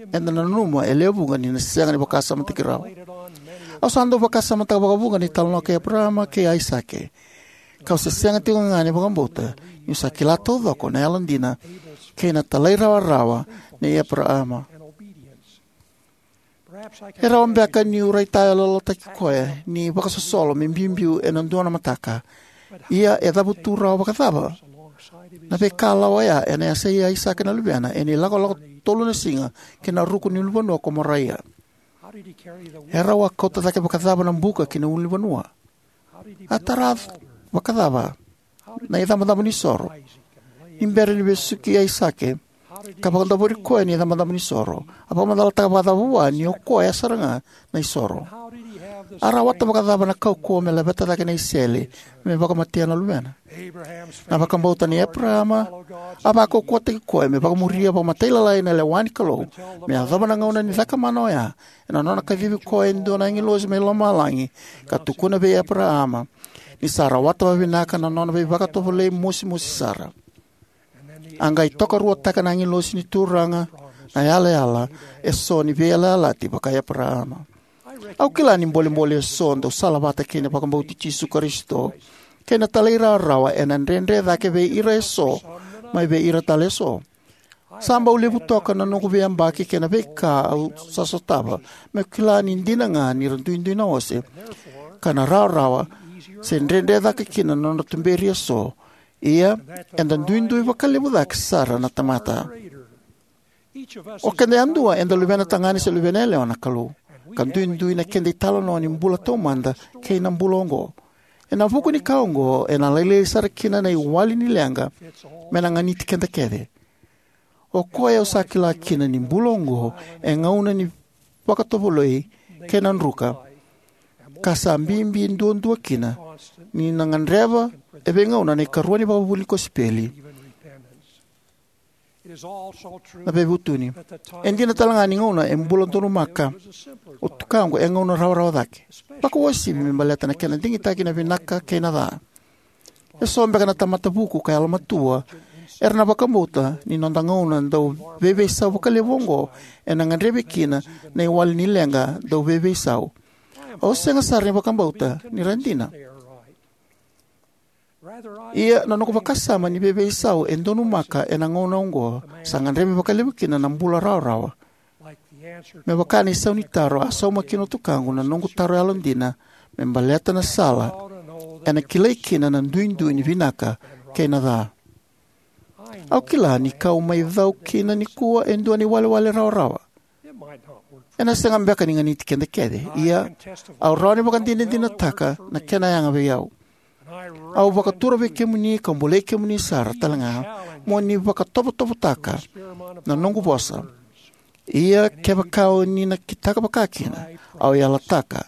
eda na nanuma e lewe vuqa ni na sega ni vakasamataki rawa. Au sa dau vakasamataka vakavuqa na italanoa kei Eparaama kei Aisake, kau se sega tiko ga ni vakabauta niu sa kila taucoko na yalodina kei na talairawarawa nei Eparaama. E rawa beka niu raitayaloyalotaki koya ni vakasosolo me biubiu ena dua na mataka. Ia e cavutu rawa vakacava na veikalawa oya ena yasai Aisake na luvena ena ilakolako tolu na siga ki na ruku ni ulunivanua ko Moraia? E rau a kauta cake vakacava na buka ki na ulunivanua? A tara vakacava na icabocabo ni soro ni bera ni vesuki Aisake ka vakadavori koya na icabocabo ni soro? A vakamacalataka vakacava vua ni o koya sara ga na isoro? A rawata vakacava na kaukauwa me laveta cake na isele me vakamatea na luvena? Na vakabauta nei Eparaama a vakaukauwataki koya me vakamuria vakamatailalai na lewa ni Kalou me yacova na gauna ni cakamana oya, ena nona kacivi koya e dua na agilosi mai lomalagi ka tukuna vei Eparaama ni sa rawata vakavinaka na nona veivakatovolei mosimosi sara. A qai tokaruataka na agilosi ni Turaga na yalayala eso ni veiyalayalati vaka-Eparaama. Au kila ni bolebole eso dau salavata kei na vakabauti Jisu Karisito kei na talairawarawa ena dredre cake vei ira eso mai vei ira tale eso. Sa bau levu toka na noqu veiyabaki kei na veika au sa sotava meu kila ni dina ga ni ra duidui na ose ka na rawarawa se dredre cake kina na nodra tuberi eso. Ia, eda duidui vakalevu cake sara na tamata. O keda yadua eda luvena tagane se luvena yalewa na Kalou, ka duidui na keda italanoa ni bula taumada kei na bula oqo. Ena vuku ni ka oqo ena lailai sara kina na iwali ni leqa me na ganiti keda kece. O koya au sa kila kina ni bula oqo e gauna ni vakatovolei kei na druka, ka sa bibi duadua kina ni na gadreva e veigauna na ikarua ni vakavuvuli ni kosipeli, na veivutuni. E dina tale ga ni gauna e bula donumaka o tukaqu e gauna rawarawa cake, vakauasivi me baleta na kena digitaki na vinaka kei na ca. Eso beka na tamata vuku ka yalomatua era na vakabauta ni noda gauna dau veiveisau vakalevu oqo ena gadrevi kina na iwali ni leqa dau veiveisau. Au sega sara ni vakabauta ni ra dina. Ia, na noqu vakasama ni veiveisau e donumaka ena gauna oqo sa gadrevi vakalevu kina na bula rawarawa. Me vaka na isau ni taro a sauma kina o tukaqu na noqu taro yalodina me baleta na sala ena kilai kina na duidui ni vinaka kei na ca. Au kila ni kau mai cau kina nikua e dua na iwalewale rawarawa. Ena sega beka ni ganiti keda kece, ia au rawa ni vakadinadinataka na kena yaga vei au. Au vakatura vei kemuni ka bolei kemuni sara tale ga mo ni vakatovotovotaka na noqu vosa. Ia kevaka o ni na kitaka vakakina, au yalataka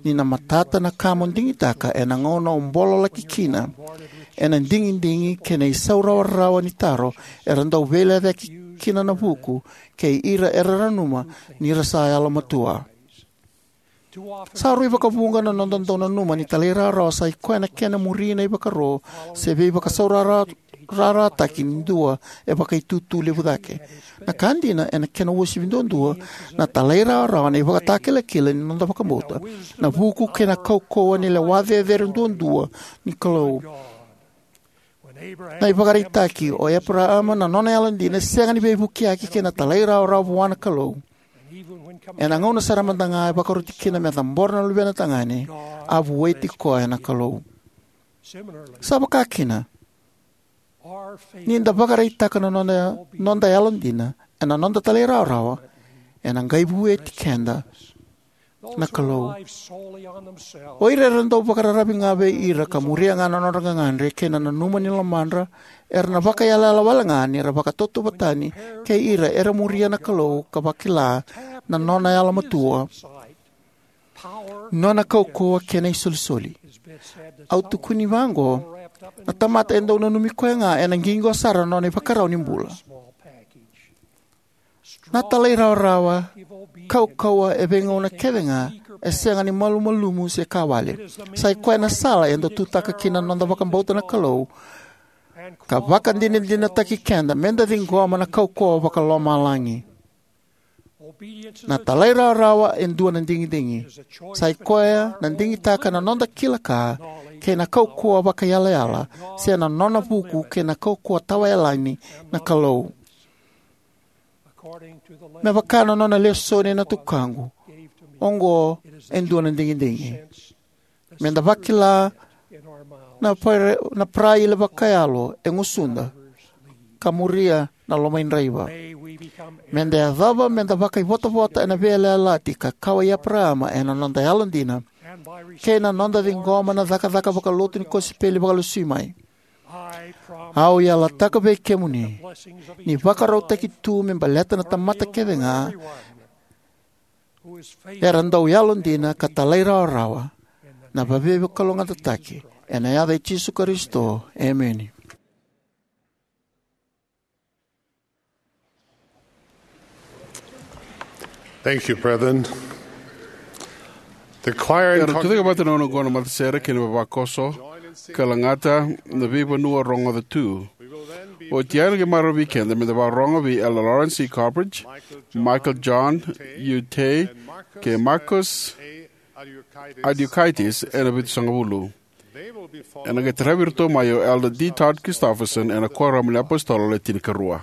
ni na matata na ka mo digitaka ena gauna o bololaki kina ena digidigi kei na isau rawarawa ni taro era dau veilecayaki kina na vuku kei ira era nanuma ni ra sa yalomatua. Sa rui vakavuqa na noda dau nanuma ni talairawarawa sa i koya na kena muri na ivakaro se veivakasaurarataki ni dua e vakaitutu levu cake. Na ka dina, ena kena uasivi duadua, na talairawarawa na ivakatakilakila ni noda vakabauta, na vuku kei na kaukauwa ni lewa cecere duadua ni Kalou. Na ivakaraitaki o Eparaama na nona yalodina e sega ni veivukiyaki kei na talairawarawa vua na Kalou. Ena gauna sara mada ga e vakaroti kina me cabora na luvena tagane, a vueti koya na Kalou. Sa vaka kina, ni da vakaraitaka na noda, noda yalodina ena noda talairawarawa, ena qai vueti keda na Kalou. O ira era dau vakararavi ga vei ira ka muria ga na nodra gagadre kei na nanuma ni lomadra, era na vakayalayala wale ga ni ra vakatautauvatatani kei ira era muria na Kalou ka vakila na nona yalomatua, nona kaukauwa kei na isolisoli. Au tukuni vaqo, na tamata e dau nanumi koya ga ena qiqo sara na nona ivakarau ni bula. Na talairawarawa, kaukauwa e veigauna kece ga, e sega ni malumalumu se ka wale. Sa i koya na sala eda tutaka kina na noda vakabauta na Kalou, ka vakadinadinataki keda meda ciqoma na kaukauwa vakalomalagi. Na talairawarawa e dua na digidigi. Sa i koya na digitaka na noda kila ka kei na kaukauwa vakaiyalayala, se na nona vuku kei na kaukauwa tawayalani na Kalou. Me vaka na nona lesoni na tukaqu, oqo e dua na digidigi. Meda vakila na pare-, na paraile vakayalo e gusuda, ka muria na lomaidraiva. Meda yacova meda vakaivotavota ena veiyalayalati ka kawa i Eparaama ena noda yalodina, kei na noda ciqoma na cakacaka vakalotu ni kosipeli vakalesui mai. Au yalataka vei kemuni, ni vakarautaki tu me baleta na tamata kece ga era dau yalodina ka talairawarawa, na veivakalougatataki, ena yaca i Jisu Karisito. Emeni. Thank you, brethren. The choir and Era tucake vata na onoqo na matasere kei na vavakoso, ka lagata na veivanua rogoca tu. Oti ya na qai marau vei keda meda vakarorogo vei Elder Lawrence C. Copridge, Michael John Utay, kei Marcus Adiukaitis ena vitusagavulu. Ena qai taravi iratou mai o Elder D. Todd Christofferson ena Kuoramu ni iApositolo Le Tinikarua.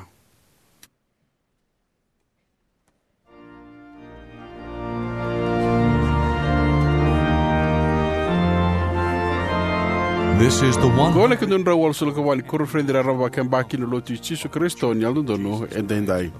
This is the one. Qo na ikaduadrau walusagavulu ka va ni koniferedi raraba vakayabaki ni Lotu i Jisu Karisito ni Yalododonu Edaidai.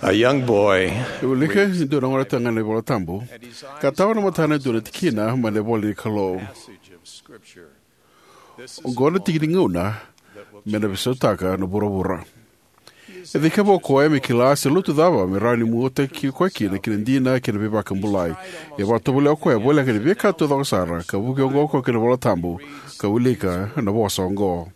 A young boy E wilika e dua na gone tagane na iVola Tabu, ka tawa na matana e dua na tikina mai na ivola ni Kalou. Oqo na tiki ni gauna me na veisautaka na vuravura. E cikeva o koya me kila se lotu cava me rawa ni muataki koya kina ki na dina kei na veivakabulai. E vakatovolea o koya voleka ni veika taucoko sara ka vuki oqo o koya ki na iVola Tabu ka wilika na vosa oqo: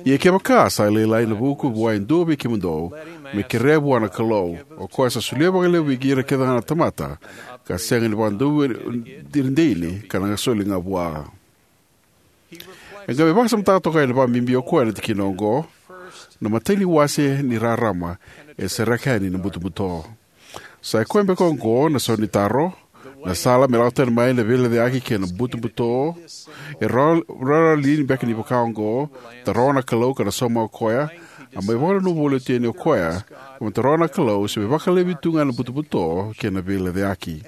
Ia kevaka sa lailai na vuku vua e dua vei kemudou, me kerea vua na Kalou, o koya sa solia vakalevu vei ira kece na tamata, ka sega ni vakadauveidini, ka na soli ga vua. E qai mai vakasamataka toka yani vakabibi o koya na tikina oqo: Na imatai ni wase ni rarama e sereka yani na butobuto. Sa i koya beka oqo na sau ni taro, na sala me lako tani mai na veilecayaki kei na butobuto? E rawa, rawa li beka ni vaka oqo, taroga na Kalou ka na sauma o koya? A mai vakananuma voli oti yani o koya, ka mai taroga na Kalou se me vakalevi tu ga na butobuto kei na veilecayaki.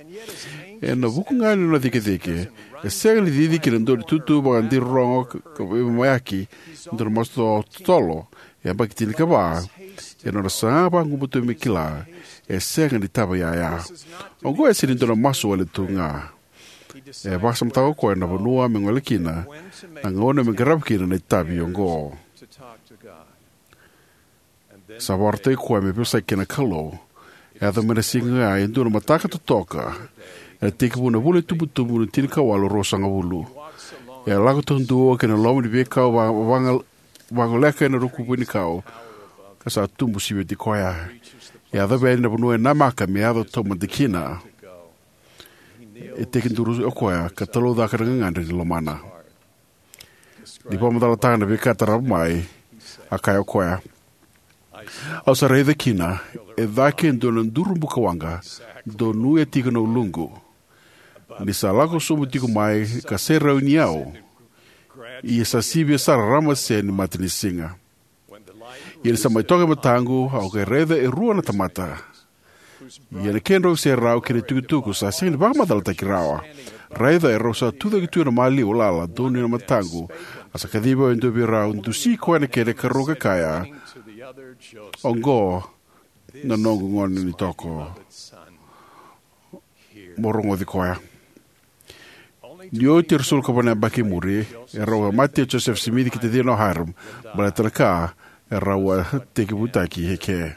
Ena vuku ga ni nona cikecike, e sega ni cici ki na dua na itutu vakadirorogo ka veimamaiyaki, e dua na masu totolo, e yabaki tinikava, ena nona saga vagumatua me kila, e sega ni tava yaya. Oqo e sega ni dua na masu wale tu ga. E vakasamataka o koya na vanua me gole kina, na gauna me qarava kina na itavi oqo. Sa vakarautaki koya me veivosaki kei na Kalou. E yaco mai na siga e dua na mataka totoka, ena tekivu na vula itubutubu ni tinikawalu ruasagavulu. E a lako taudua ki na loma ni veikau va-, vaga-, vagoleka ena ruku vuanikau, ka sa tubu siviti koya. E yacova yani na vanua e namaka me yaco taumada kina. E tekiduru o koya ka talaucaka na gagadre ni lomana. Ni vakamacalataka na veika tarava mai, a kaya o koya: Au sa raica kina e cake e dua na duru bukawaqa, donuya tiko na uluqu, ni sa lako sobu tiko mai ka serauni au, ia sa sivia sara na ramase ni matanisiga. Ia ni sa mai toka e mataqu, au qai raica e rua na tamata. Ia na kedrau iserau kei na itukutuku sa sega ni vakamacalataki rawa. Raica, erau sa tucake tu ena maliwa lala donuya na mataqu. A sa kacivi au e dua vei rau, dusi koya na kena ikarua ka kaya: Oqo na noqu gone ni toko. Mo rogoci koya. Ni oti e ruasagavulu ka va na yabaki i muri, erau a mate o Joseph Smith kei tacina o Hyrum, baleta na ka erau a tekivutaki eke.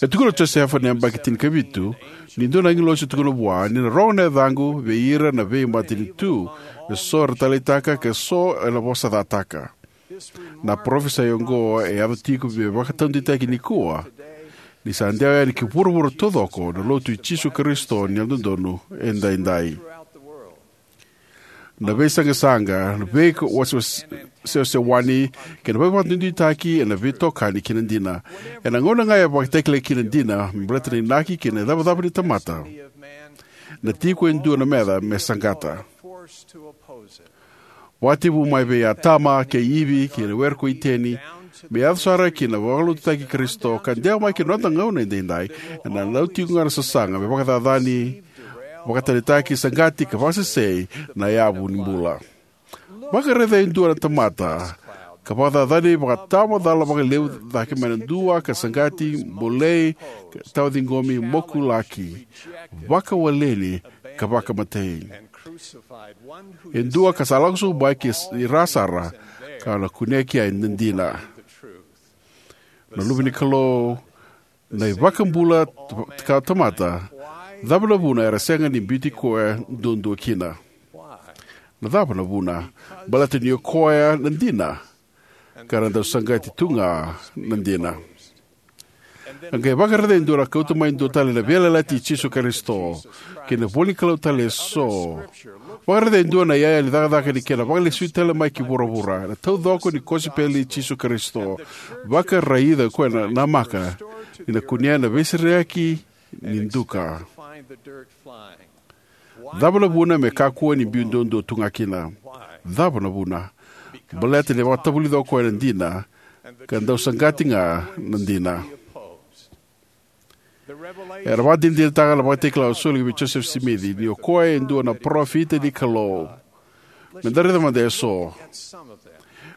E tukuna o Josefa ena yabaki tinikavitu ni dua na agilosi e tukuna vua ni na rogo na yacaqu vei ira na veimatanitu, eso era taleitaka ka so era vosacataka. Na parofisai oqo e yaco tiko me vakataudeitaki nikua, ni sa dewa yani ki vuravura taucoko na Lotu i Jisu Karisito ni Yalododonu Edaidai. Na veisaqasaqa, na veika-, wase-, wase-, sewasewani kei na veivakaduiduitaki ena veitokani kei na dina. Ena gauna ga e vakatakilai kina na dina me baleta na inaki kei na icavacava ni tamata, na tiko e dua na meca me saqata. Vakatekivu mai vei Atama kei Ivi kei na were ko Iteni, me yaco sara ki na vakalotutaki Karisito, ka dewa mai ki na noda gauna edaidai, ena dau tiko ga na sasaga me vakacacani, vakatanitaki, saqati ka vakasesei na yavu ni bula. Vakaraica e dua na tamata ka vakacacani, vakatamacala vakalevu cake mai na dua, ka saqati, bolei, ka tawa ciqomi, mokulaki, vakawaleni, ka vakamatei. E dua ka sa lako sobu mai ki ra sara, ka na kunea ki ai na dina. Na Luve ni Kalou, na iVakabula ka tamata, cava na vuna era sega ni biuti koya duadua kina? Na cava na vuna? Baleta ni o koya na dina, ka ra dau saqati tu ga na dina. A qai vakaraica e dua na kauta mai dua tale na veiyalayalati i Jisu Karisito kei na ivolanikalou tale eso. Vakaraica e dua na iyaya ni cakacaka ni kena vakalesui tale mai ki vuravura na taucoko ni kosipeli i Jisu Karisito. Vakaraica o koya na namaka ni na kunea na veisereki ni duka. Cava na vuna me kakua ni biu duadua tu ga kina? Cava na vuna? Baleta ni vakatavulica o koya na dina, ka dau saqati ga na dina. Era vakadinadinataka na vakatakila a soli vei Joseph Smith ni o koya e dua na parofita ni Kalou. Me da raica mada eso.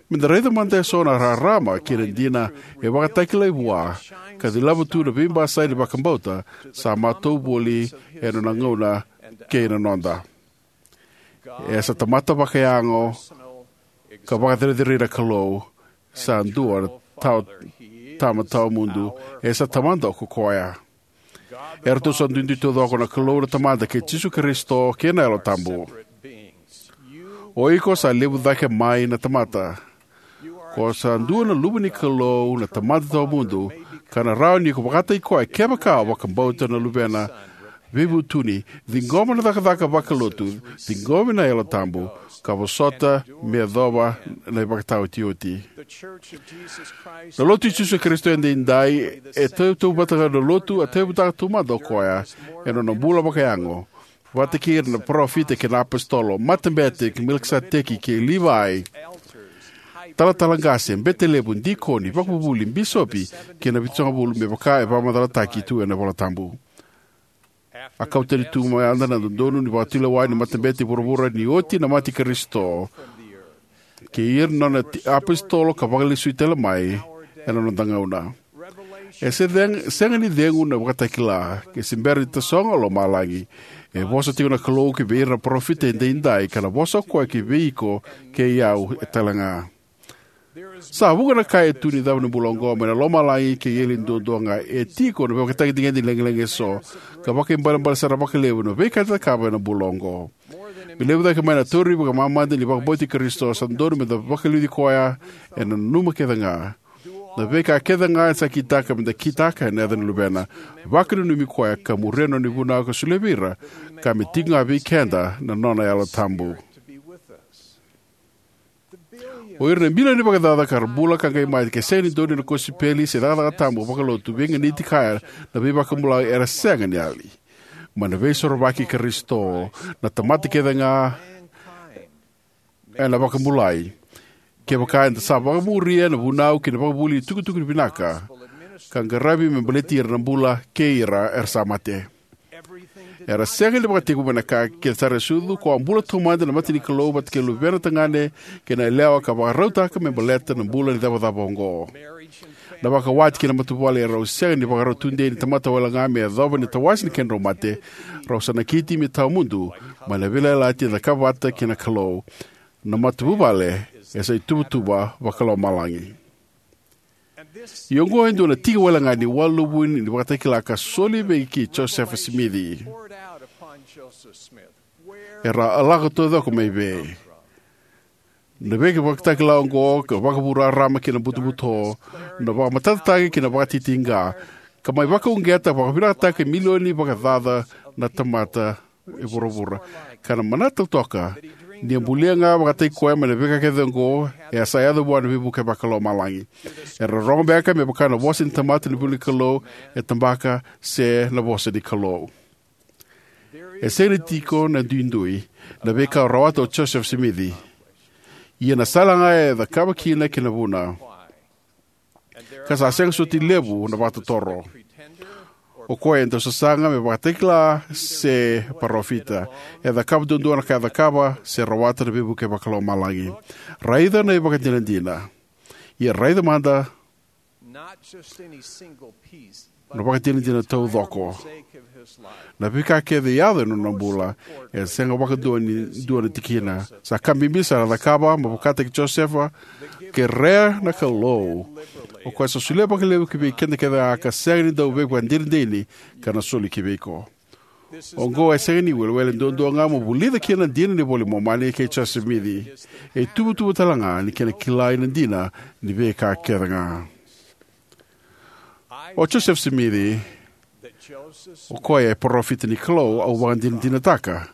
Me da raica mada eso na rarama kei na dina e vakatakilai vua, ka cilava tu na veibasai ni vakabauta sa matau voli ena nona gauna kei na noda. E sa tamata vakayago, ka vakacerecerei na Kalou. Sa dua na tawa, tama tawamudu, e sa Tamada ko koya. Eratou sa duidui taucoko na Kalou na Tamada kei Jisu Karisito kei na Yalo Tabu. O iko sa levu cake mai na tamata. Ko sa dua na luve ni Kalou, na Tamada tawamudu, ka na rawa ni ko vakataki koya kevaka o vakabauta na Luvena, veivutuni, ciqoma na cakacaka vakalotu, ciqomi na Yalo Tabu, ka vosota me yacova na ivakataotioti. Na Lotu i Jisu Karisito edaidai e tautauvata ga na lotu a tautauvata taumada o koya ena nona bula vakayago, vata kei ira na parofita kei na apositolo, matabete kei Melikiseteki kei Livai, talatala qase, bete levu, dikoni, ivakavuvuli, bisopi, kei na vitusagavulu, me vaka e vakamacalataki tu ena iVola Tabu. A kau tani tu mada na dodonu ni vakatulewa ni matabete i vuravura ni oti na mate i Karisito, kei ira na nona ti-, apositolo ka vakalesui tale mai ena noda gauna. E se ceg-, sega ni cegu na ivakatakila, ke se bera ni tasogo o lomalagi. E vosa tiko na Kalou ki vei ira na parofita edaidai, ka na vosa o koya ki vei iko kei au e tale ga. Sa vuqa na ka e tu ni cava na bula oqo mai na lomalagi kei eli duadua ga. E tiko na veivakatagedegede ni lagilagi eso, ka vakaibalebale sara vakalevu na veika eda cakava ena bula oqo. Me levu cake mai na tauri vakamamada ni vakabauti Karisito, sa dodonu meda vakaliuci koya ena nanuma kece ga. Na veika kece ga e sa kitaka meda kitaka ena yaca ni Luvena, vakananumi koya ka muria na nona ivunau ka solia vei ira, ka me tiko ga vei keda na nona Yalo Tabu. O ira na bilioni vakacaca ka ra bula ka qai mate ke sega ni donuya na kosipeli se cakacaka tabu vakalotu, veiganiti kaya na veivakabulai, era sega ni yali mai na veisorovaki i Karisito. Na tamata kece ga ena vakabulai, kevaka eda sa vakamuria na vunau kei na vakavuvuli ni tukutuku vinaka, ka qaravi me baleti ira na bula kei ira era sa mate. Era sega ni vakatekivu mai na ka kece sara e sucu. Ko a bula taumada ena mata ni Kalou vata kei luvena tagane kei na yalewa ka vakarautaka me baleta na bula ni cavacava oqo. Na vakawati kei na matavuvale erau sega ni vakarau tudei ni tamata wale ga me yacova na tawase ni kedrau mate. Rau sa nakiti me tawamudu mai na veiyalayalati e cakava vata kei na Kalou. Na matavuvale e sa ituvatuva vakalomalagi. Ia oqo e dua na tiki wale ga ni waluvu ni vakatakila ka soli vei Josefa Simici. Era a lako taucoko mai vei? Na veivakatakila oqo ka vakavurarama ki na butobuto, na vakamatatataki ki na vakatitiqa, ka mai vakauqeta vakavinakataka e milioni vakacaca na tamata e vuravura. Ka na manata toka ni a bulia ga vakataki koya mai na veika kece oqo, e a sa yaco vua na veivuke vakalomalagi. Era rogo beka me vaka na vosa ni tamata ni vuli Kalou, e tabaka se na vosa ni Kalou. E sega ni tiko na duidui na veika a rawata o Josefa Simici. Ia na sala ga e cakava kina kei na vuna. Ka sa sega soti levu na vakatotoro. O koya e dau sasaga me vakatakila se parofita. E cakava duadua na ka e cakava se rawata na veivuke vakalomalagi. Raica na ivakadinadina. Ia raica mada na vakadinadina taucoko. Na veika kece e yaco ena nona bula, e sega vakadua ni dua na tikina. Sa ka bibi sara a cakava, me vakataki Josefa, kerea na Kalou. O koya sa solia vakalevu ki vei keda kece ga ka sega ni dau veivakadinadini ka na soli ki vei iko. Oqo e sega ni iwiliwili duadua ga mo vulica kina na dina ni iVola i Momani kei Josefa Simici. E ituvatuva tale ga ni kena kilai na dina ni veika kece ga. O Josefa Simici, o koya e parofita ni Kalou, au vakadinadinataka.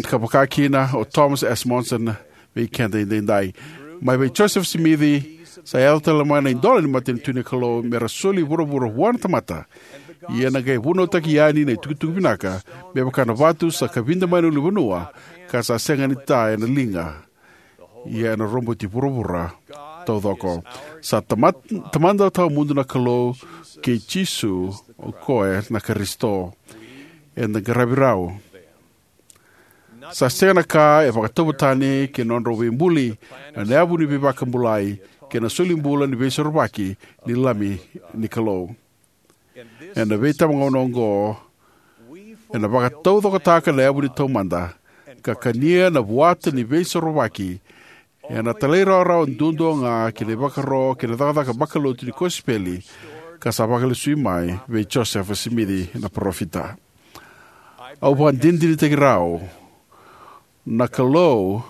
Ka vaka kina o Thomas S. Monson vei keda edaidai. Mai vei Josefa Simici, sa yaco tale mai na idola ni matanitu ni Kalou me ra soli vuravura vua na tamata. Ia na qai vunautaki yani na itukutuku vinaka, me vaka na vatu sa kavida mai na ulunivanua, ka sa sega ni ta ena liga. Ia ena roboti vuravura taucoko. Sa tama-, Tamada tawamudu na Kalou, kei Jisu, o koya na Karisito. Eda qaravi rau. Sa sega na ka e vakatauvatani kei na nodrau veibuli, na yavu ni veivakabulai, kei na soli bula ni veisorovaki ni Lami ni Kalou. Ena veitabagauna oqo, ena vakataucokotaka na yavu ni taumada, ka kania na vuata ni veisorovaki ena talairawarawa duadua ga ki na ivakaro kei na cakacaka vakalotu ni kosipeli ka sa vakalesui mai vei Josefa Simici na parofita. Au vakadinadinataki rau na Kalou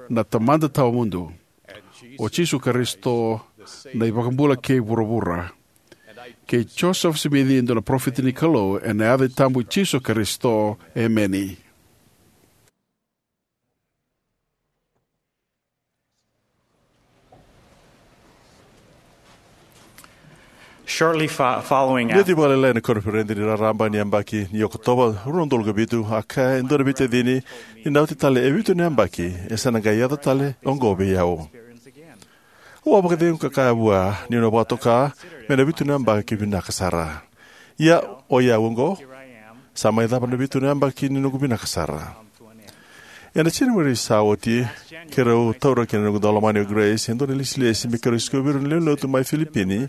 na Tamada Tawamudu, o Jisu Karisito na iVakabula kei vuravura, kei Josefa Simici e dua na parofita ni Kalou, ena yaca tabu i Jisu Karisito, emeni. Shortly fo- following Ni oti vakalailai na koniferedi ni raraba ni yabaki ni Okotova rua na udolu ka vitu, a kaya e dua na veitacini ni na oti tale e vitu na yabaki e sa na qai yaco tale oqo vei au. Au a vakacegu ka kaya vua niu na vakatoka me na vitu na yabaki vinaka sara. Ia, o i au oqo, sa mai cava na vitu na yabaki ni noqu vinaka sara. Ena Janueri sa oti, keirau taura kina na noqu daulomani o Grace e dua na ilesilesi me keirau sikovi ira na lewe ni lotu mai Filipini,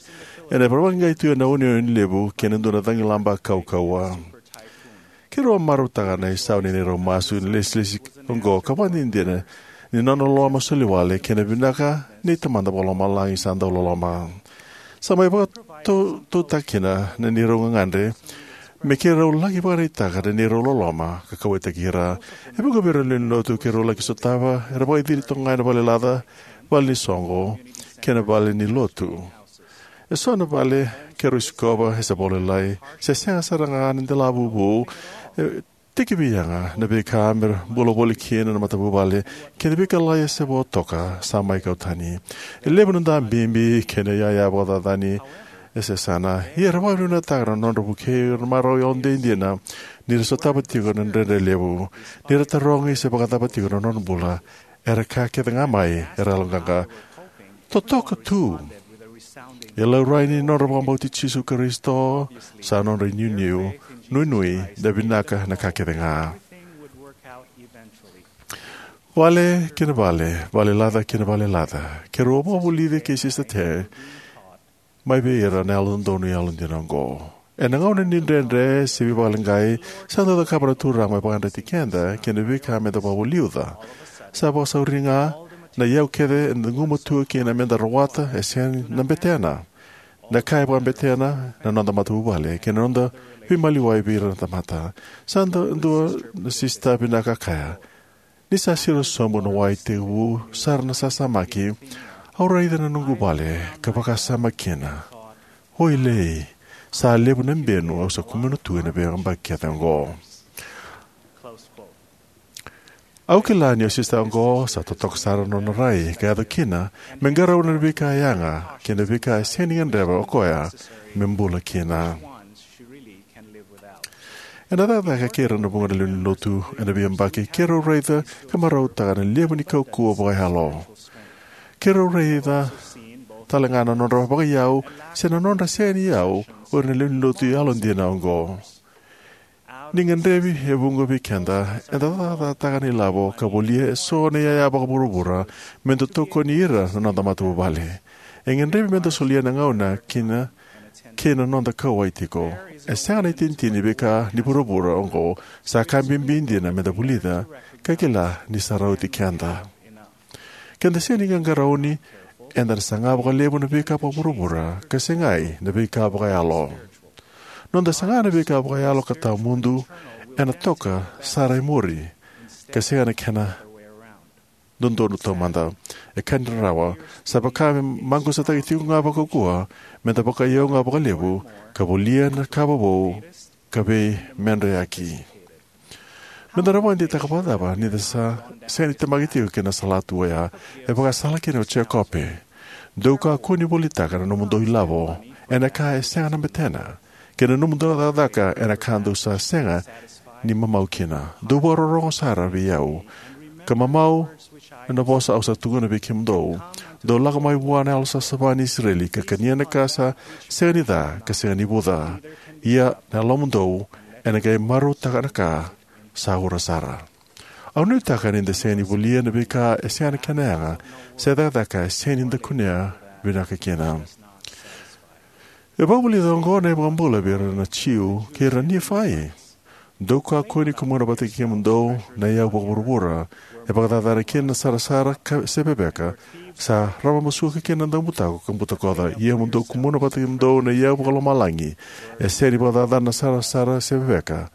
ena vakaleqai tu ena uneune levu kei na dua na cagilaba kaukauwa. Keirau a marautaka na isau ni neirau masu ena ilesilesi oqo ka vakadinadina ni nona loloma soliwale kei na vinaka ni Tamada Vakalomalagi sa dau loloma. Sa mai vakatautauta kina na neirau gagadre me keirau laki vakaraitaka na neirau loloma ka kauwaitaki ira. E vuqa vei ira na lewe ni lotu keirau laki sotava era vakaciri toka ga ena valelaca, vale ni soqo, kei na vale ni lotu. E so na vale keirau sikova e se vakalailai, se sega sara ga na delavuvu. E tekivu yaga na veika me ra bula voli kina na matavuvale, kei na veika lalai e se vo toka sa mai kau tani. E levu na dabibi kei na iyaya vakacacani e se sana. Ia era vakavinavinakataka na nodra vukei ira na marau yalodina ni ra sotava tiko na dredre levu. Ni ra tarogi se vakacava tiko na nodra bula, era kaya kece ga mai era yaloqaqa, "Totoka tu." E laurai ni nodra vakabauti Jisu Karisito sa nodra inuinui, nuinui, na vinaka na ka kece ga. Vale kei na vale, valelaca kei na valelaca, keirau a vakavulici kei Sista Te mai vei ira na yalododonu yalodina oqo. Ena gauna ni dredre se veivakaleqai, sa dau cakava na Turaga me vakayadrati keda kei na veika meda vakaliuca. Sa vakasauri ga, na iyau kece eda gumatua kina meda rawata e sega na betena. Na ka e vakabetena na noda matavuvale kei na noda veimaliwai vei ira na tamata. Sa dau dua na sista vinaka kaya, "Ni sa siro sobu na wai tekivu sara na sasamaki, au raica na noqu vale ka vakasama kina, 'Oilei, sa levu na benu au sa kumuna tu ena veiyabaki kece oqo.'" Au kila ni o sista oqo sa totoka sara na nona rai ka yaco kina me qarauna na veika yaga kei na veika e sega ni gadreva o koya me bula kina. Ena cakacaka kei ira na vuqa na lewe ni lotu ena veiyabaki, keirau raica ka marautaka na levu ni kaukauwa vakayalo. Keirau raica tale ga na nodra vakaiyau se na nodra sega ni iyau o ira na lewe ni lotu yalodina oqo. Ni gadrevi e vuqa vei keda, eda cakacakataka na ilavo ka volia e so na iyaya vakavuravura meda tokoni ira na noda matavuvale. E gadrevi meda solia na gauna kina kei na noda kauwai tiko. E sega na itinitini ni veika ni vuravura oqo, sa ka bibi dina meda vulica ka kila ni sa rauti keda. Keda sega ni qaqarauni, eda na saga vakalevu na veika vakavuravura ka segai na veika vakayalo. Noda saga na veika vakayalo ka tawamudu, ena toka sara e muri ka sega na kena dodonu taumada. E ka ni rarawa, sa vaka me maqusataki tiko ga vakaukauwa meda vakaiyau ga vakalevu ka volia na ka vovou ka veimedreyaki. Meda na vakadeitaka vakacava ni da sa sega ni temaki tiko ki na salatu oya? E vakasala kina o Jekope: "Dou kakua ni volitaka na nomudou ilavo ena ka e sega na betena, kei na nomudou cakacaka ena ka dou sa sega ni mamau kina. Dou vakarorogo sara vei au, ka mamau ena vosa au sa tukuna vei kemudou. Dou lako mai vua na Yalosavasava ni Isireli, ka kania na ka sa sega ni ca ka sega ni vuca. Ia na yalomudou ena qai marautaka na ka sa ura sara." Au nuitaka ni da sega ni volia na veika e sega na kena yaga se cakacaka e sega ni da kunea vinaka kina. E vakavulica oqo na iVakabula vei ira na Jiu kei ira na Nifai. Dou kakua ni kumuna vata kei kemudou na iyau vakavuravura, e vakacacana kina na sarasara ka se veveka, sa ravabasuka kina na daubutako ka butakoca. Ia mo dou kumuna vata kei kemudou na iyau vakalomalagi, e sega ni vakacacana na sarasara se veveka,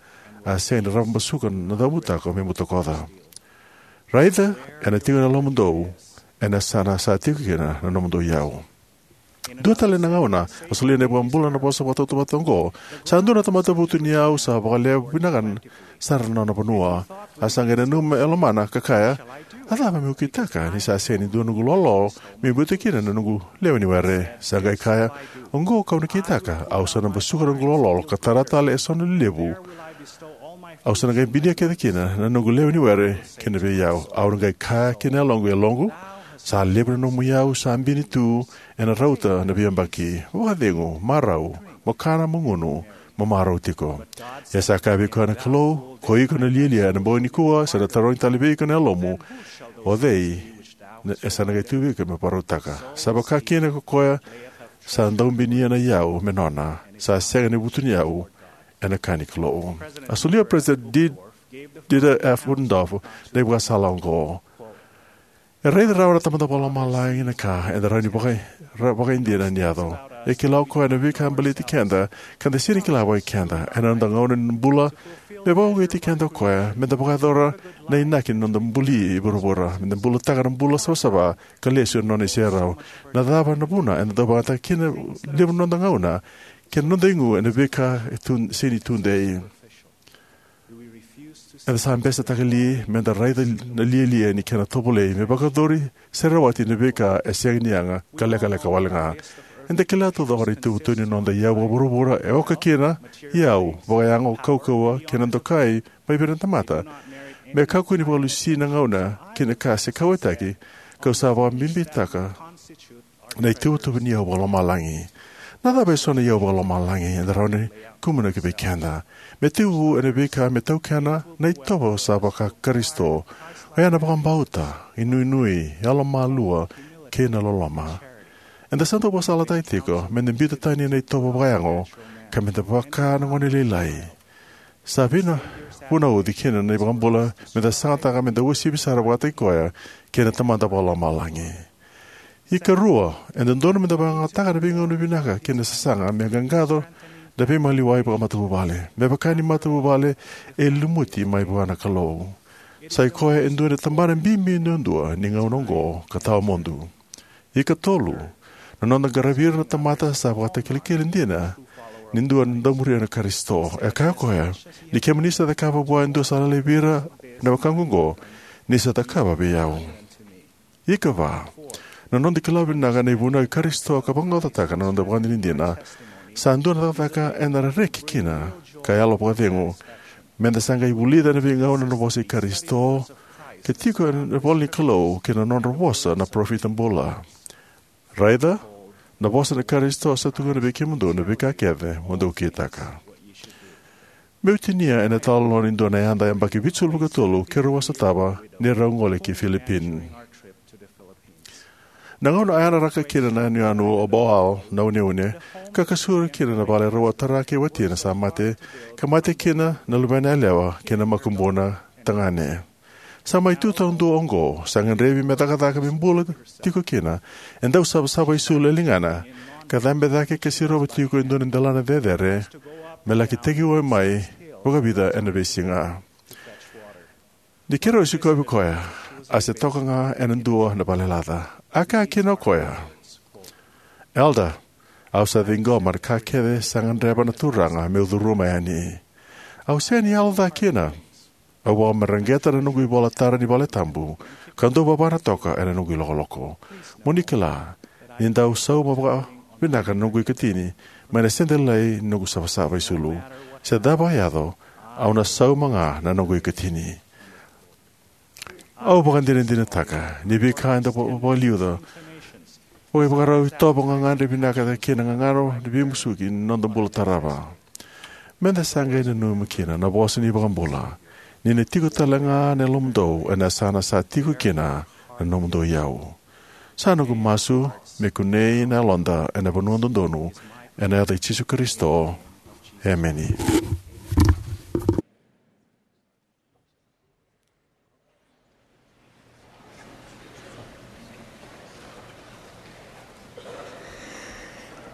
a sega ni ravabasuka na daubutako me butakoca. Raica, ena tiko na lomamudou ena yasana sa tiko kina na nomudou iyau. Dua tale na gauna a solia na iVakabula na vosa vakatautauvata oqo: Sa dua na tamata vutuniyau sa vakalewe vinaka sara na nona vanua. A sa qai nanuma e lomana ka kaya, a cava meu kitaka, ni sa sega ni dua noqu lololo me biuta kina na noqu lewe ni were? Sa qai kaya, oqo kau na kitaka, au sa na basuka noqu lololo ka tara tale eso na lelevu. Au sa na qai binia kece kina na noqu lewe ni were kina vei au. Au na qai kaya ki na yaloqu, yaloqu, sa levu na nomu iyau sa bini tu ena rauta na veiyabaki. Vakacegu, marau, mo kana, mo gunu, mo marau tiko. Ia sa kaya vei koya na Kalou, ko iko na lialia ena bogi nikua, sa na tarogi tale vei iko na yalomu, o cei e sa na qai tu vei iko me vakarautaka? Sa vaka kina ko koya sa daubinia na iyau me nona, sa sega ni vutuniyau ena ka ni Kalou. A solia o President D-, Dieter F. Uchtdorf na ivakasala oqo: E raica rawa na Tamada Vakalomalagi na ka eda rawa ni vaka-, ra-, vakaidina ni yaco. E kila o koya na veika baleti keda ka da sega ni kila vakaikeda. Ena noda gauna ni bula, me vakauqeti keda o koya me da vakayacora na inaki ni noda buli e vuravura, me da bulataka na bula savasava ka lesu ena nona iserau. Na cava na vuna eda dau vakayagataka kina levu na noda gauna kei na noda igu ena veika e tu, sega ni tudei? Eda sa besetaka li me da raica na lialia ni kena tovolei me vakayacori se rawati na veika e sega ni yaga ka lekaleka wale ga? Eda kila taucoko na ituvatuva ni noda iyau vakavuravura e oka kina iyau vakayago, kaukauwa kei na dokai mai vei ira na tamata. Me kakua ni vakalusi na gauna ki na ka se kauwaitaki, kau sa vakabibitaka na ituvatuva ni iyau vakalomalagi. Na cava eso na iyau vakalomalagi eda rawa ni kumuna ki vei keda? Me tekivu ena veika me taukena na itovo sa vaka-Karisito, oya na vakabauta, inuinui, yalomalua, kei na loloma. Eda sa dau vakasalataki tiko me da biuta tani na itovo vakayago ka me da vaka na gone lailai. Sa vina-, vunauci kina na iVakabula me da sagataka me da uasivi sara vakataki koya kei na Tamada Vakalomalagi. Ikarua, e dodonu me da vakayagataka na veigauna vinaka kei na sasaga me qaqaco na veimaliwai vakamatavuvale. Me vaka ni matavuvale e lumuti mai vua na Kalou, sa i koya e dua na tabana bibi duadua ni gauna oqo ka tawamudu. Ikatolu, na noda qaravi ira na tamata sa vakatakilakila dina ni dua na daumatua na Karisito. E kaya o koya, ni kemuni sa cakava vua e dua sa laivi ira na wekaqu oqo, ni sa cakava vei au. Ikava, na noda kila vinaka na ivunau i Karisito ka vaqaqacotaka na noda ivakadinadina sa dua na cakacaka eda reki kina ka yalo vakacegu. Me da sa qai vulica ena veigauna na vosa i Karisito ka tiko ena ivola ni Kalou kei na nodra vosa na parofita bula. Raica, na vosa ni Karisito sa tukuna vei kemudou na veika kece mo dou kitaka. Meu tinia ena italanoa ni dua na yada yabaki vitusagavulu ka tolu keirau a sotava ni rau gole ki Philippines. Na gauna a yararaka kina na yanuyanu o Boal na uneune, ka kasura kina na vale rau a tara kei watina sa mate, ka mate kina na luvena yalewa kei na makubuna tagane. Sa mai tu taudua oqo, sa gadrevi me cakacaka me bula tiko kina, e dau savasava isulu e ligana, ka cabe cake ka sirova tiko e dua na delana cecere me laki tekivu mai vakavica ena veisiga. Ni keirau sikovi koya, a se toka ga ena dua na valelaca. A kaya kina o koya, "Elder, au sa ciqoma na ka kece sa gadreva na Turaga meu curuma yani. Au sega ni yalo ca kina. Au vakamareqeta na noqu ivola tara ni vale tabu, ka dau vavana toka ena noqu ilokoloko. Mo ni kila ni dau sauma vakavinaka na noqu ikatini mai na sede lailai ni noqu savasava isulu. Se cava e yaco, au na sauma ga na noqu ikatini." Au vakadinadinataka ni veika eda va-, vakaliuca vakaivakarau e tovo gagadre vinaka kei na gagano ni veimusuki ni noda bula tarava. Me da sa qai nanuma kina na vosa ni iVakabula, ni na tiko tale ga na lomamudou ena yasana sa tiko kina na nomudou iyau. Sa noqu masu me kunei na yaloda ena vanua dodonu, ena yaca i Jisu Karisito. Emeni.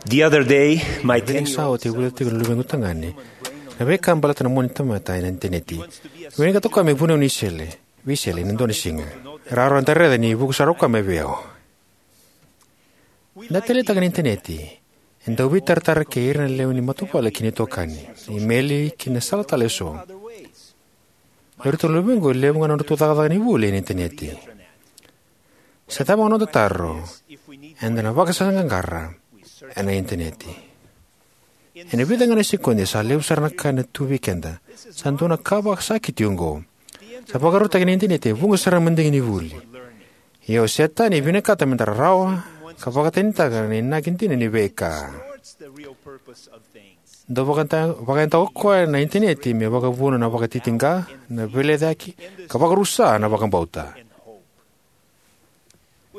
The other day, my Na vei ten-year-old sa oti e vulica tiko na luvequ tagane na veika baleta na moni tamata ena initaneti. Vinakata o koya me vuniwai ni sele, veisele ena dua na siga. Rawarawa eda raica ni vuku sara o koya mai vei au. Na taleitaka na initaneti e dau veitaratara kei ira na lewe ni matavuvale kei na itokani, imeli kei na sala tale eso. O iratou na luvequ e levu ga na nodratou cakacaka ni vuli ena initaneti. Se cava ga na noda taro, eda na vakasaqaqara ena initaneti. Ena vica ga na sekodi sa levu sara na ka ena tu vei keda. Sa dua na ka vakasakiti oqo. Sa vakarautaki na initaneti e vuqa sara na madigi ni vuli. Ia o Setani e vinakata meda rarawa ka vakatanitaka na inaki dina ni veika. Dau vakayada, vakayada o koya na initaneti me vakavuna na vakatitiqa, na veilecayaki, ka vakarusa na vakabauta.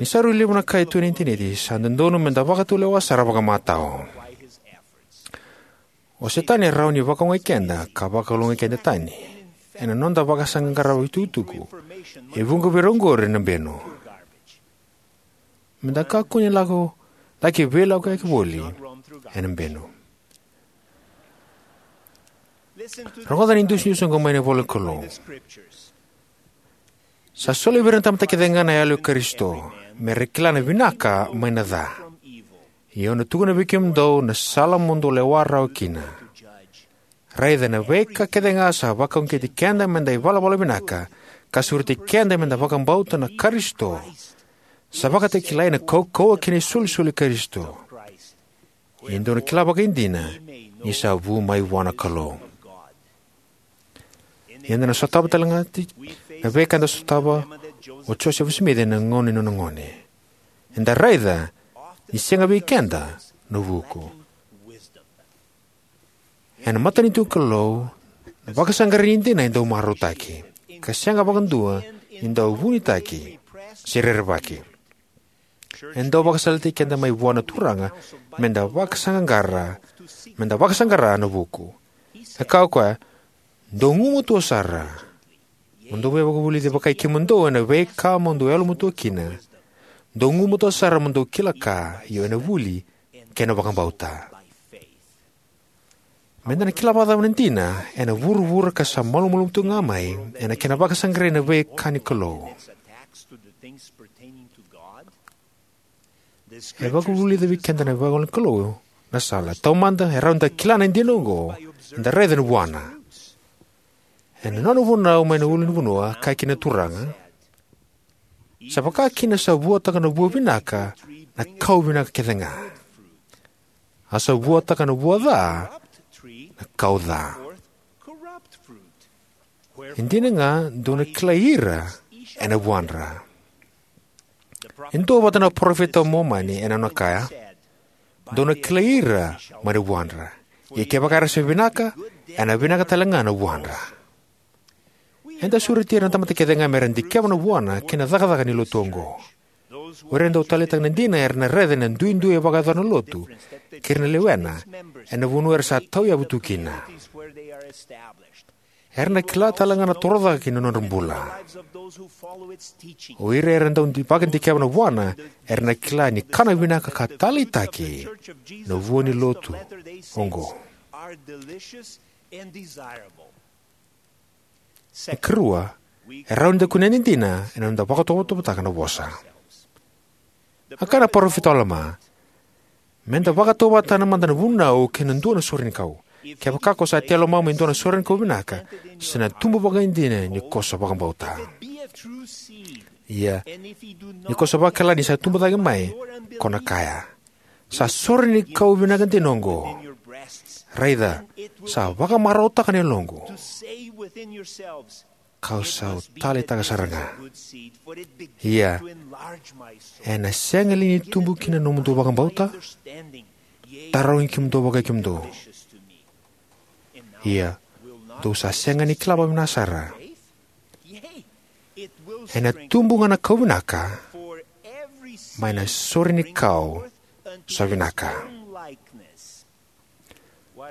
Ni sa rui levu na ka e tu ena initaneti, sa dodonu meda vakatulewa sara vakamatau. O Setani e rawa ni vakaogai keda ka vakalougatataki keda tani ena noda vakasaqaqara itukutuku. E vuqa vei ira oqori na benu. Meda kakua ni lako, laki veilakoyaki voli ena benu. Rogoca na idusidusi oqo mai na ivola ni Kalou. Sa soli vei ira na tamata kece ga na Yalo i Karisito, me ra kila na vinaka mai na ca. Ia au na tukuna vei kemudou na sala mo dou lewa rawa kina. Raica, na veika kece ga sa vakauqeti keda meda ivalavala vinaka, ka sureti keda meda vakabauta na Karisito, sa vakatakilai na kaukauwa kei na isolisoli i Karisito. Ia dou na kila vakaidina ni sa vu mai vua na Kalou. Ia eda na sotava tale ga na veika eda sotava o Josefa Simici ena gauna ni nona gone. Eda raica ni sega vei keda na vuku. Ena matanitu ni Kalou, na vakasaqarai ni dina e dau marautaki, ka sega vakadua ni dau vunitaki se rerevaki. E dau vakasalataki keda mai vua na Turaga meda vakasaqaqara, meda vakasaqara na vuku. E kaya o koya, dou gumatua sara. Mo dou veivakavulici vakai kemudou ena veika mo dou yalomatua kina. Dou gumatua sara mo dou kila ka, io ena vuli kei na vakabauta. Meda na kila vakacava na dina ena vuravura ka sa malumalumu tu ga mai ena kena vakasaqarai na veika ni Kalou? E vakavulica vei keda na ivola ni Kalou na sala. Taumada, e rawa ni da kila na dina oqo eda raica na vuana. Ena nona vunau mai na ulunivanua, kaya kina na Turaga, sa vaka kina sa vuataka na vua vinaka na kau vinaka kece ga. A sa vuataka na vua ca na kau ca. E dina ga, dou na kilai ira ena vuadra. E duavata na parofita o Momani ena nona kaya, dou na kilai ira mai na vuadra. Ia kevaka era sa vinaka, ena vinaka tale ga na vuadra. Eda sureti ira na tamata kece ga me ra dikeva na vuana kei na cakacaka ni lotu oqo. O ira e dau taleitaka na dina era na raica na duidui e vakayacora na lotu kei ira na lewena ena vanua era sa tauyavu tu kina. Era na kila tale ga na torocake ni nodra bula. O ira era dau di-, vakadikeva na vuana era na kila ni kana vinaka ka taleitaki na vua ni lotu oqo. E karua, e rawa ni da kunea na dina ena noda vakatovotovotaka na vosa. A kaya na parofita o Alama, meda vakatovotovotaka mada na vunau kei na dua na sorenikau. Kevaka ko sa tei lomamuni e dua na sorenikau vinaka, sa na tubu vakaidina ni ko sa vakabauta. Ia, ni ko sa vakila ni sa tubu cake mai, ko na kaya, sa sorenikau vinaka dina oqo. Raica, sa vakamarautaka na yaloqu, kau sa taleitaka sara ga. Ia, ena sega li ni tubu kina na nomudou vakabauta? Tarogi kemudou vakai kemudou. Ia, dou sa sega ni kila vakavinaka sara. Ena tubu ga na kau vinaka mai na sorenikau sa vinaka.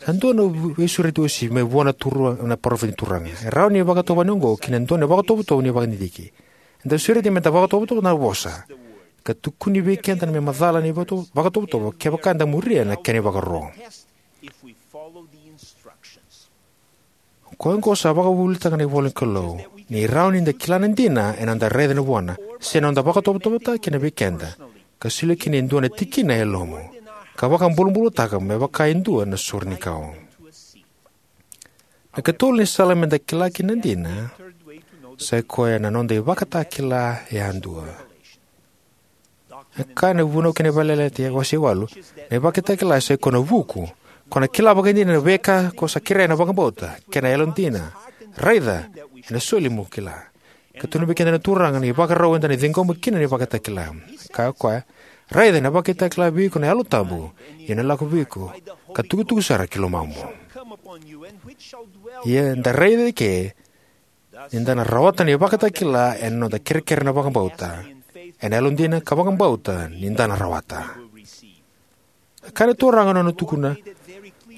Sa dua na veisureti uasivi mai vua na Turaga, na parofita ni Turaga. E rawa ni vakatovolei oqo ki na dua na vakatovotovo ni vakadidike. Eda sureti meda vakatovotovo na vosa. ka tukuni vei keda me macala na ivakato- vakatovotovo kevaka eda muria na kena ivakaro. O koya oqo sa vakavuvulitaka na ivola ni Kalou ni rawa ni da kila na dina ena noda raica na vuana se na noda vakatovotovotaka kina vei keda, ka solia kina e dua na tikina e yalomu, ka vakabulabulataka me vaka e dua na sorenikau. Na ikatolu ni sala me da kila kina na dina, sai koya na noda ivakatakila yadua. E kaya na Vunau kei na Veiyalayalati wase walu, na ivakatakila sai koya na vuku, ko na kila vakaidina na veika ko sa kerea ena vakabauta, kei na yalodina, raica, ena soli mo kila. Ka tukuna vei keda na Turaga na ivakarau eda na ciqoma kina na ivakatakila. Kaya o koya, raica, ena vakatakila vei iko na Yalo Tabu, ia ena lako vei iko, ka tukutuku sara ki lomamu. Ia da raica eke ni da na rawata na ivakatakila ena noda kerekere na vakabauta, ena yalodina ka vakabauta ni da na rawata. Ka na Turaga na nona tukuna,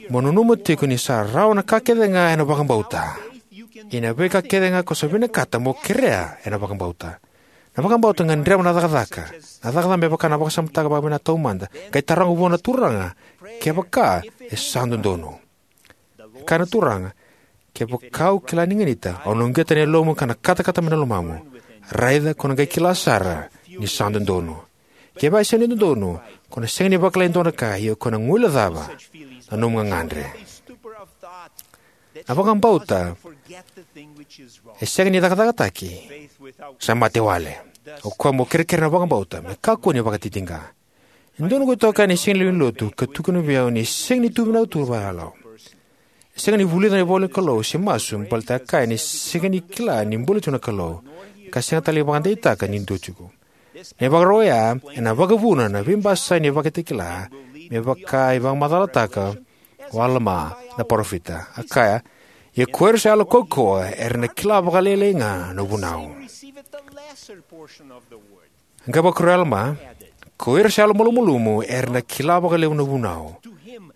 mo nanuma tiko ni sa rawa na ka kece ga ena vakabauta. Ia na veika kece ga ko sa vinakata mo kerea ena vakabauta. Na vakabauta gadreva na cakacaka, na cakacaka me vaka na vakasamataka vakavinaka taumada, qai taroga vua na Turaga kevaka e sa dodonu. E kaya na Turaga, kevaka au kila ni ganita, au na uqeta na yalomu ka na katakata mai na lomamu. Raica ko na qai kila sara ni sa dodonu. Kevaka e sega ni dodonu, ko na sega ni vakila e dua na ka, ia ko na guilecava na nomu gagadre. Na vakabauta e sega ni cakacakataki, sa mate wale. O koya mo kerekere na vakabauta, me kakua ni vakatitiqa. E dua noqu itokani e sega ni lewe ni lotu ka tukuna vei au ni sega ni tu vinaka tu vakayalo. E sega ni vulica na ivola ni Kalou se masu baleta e kaya ni sega ni kila ni bula tiko na Kalou, ka sega tale ni vakadeitaka ni dua tiko. Na ivakarau oya ena vakavuna na veibasai ni ivakatakila, me vaka e vakamacalataka o Alama na parofita. A kaya, ia ko ira sa yalo kaukauwa era na kila vakalailai ga na vunau. Qai vakarau o Alama, ko ira sa yalo malumalumu era na kila vakalevu na vunau,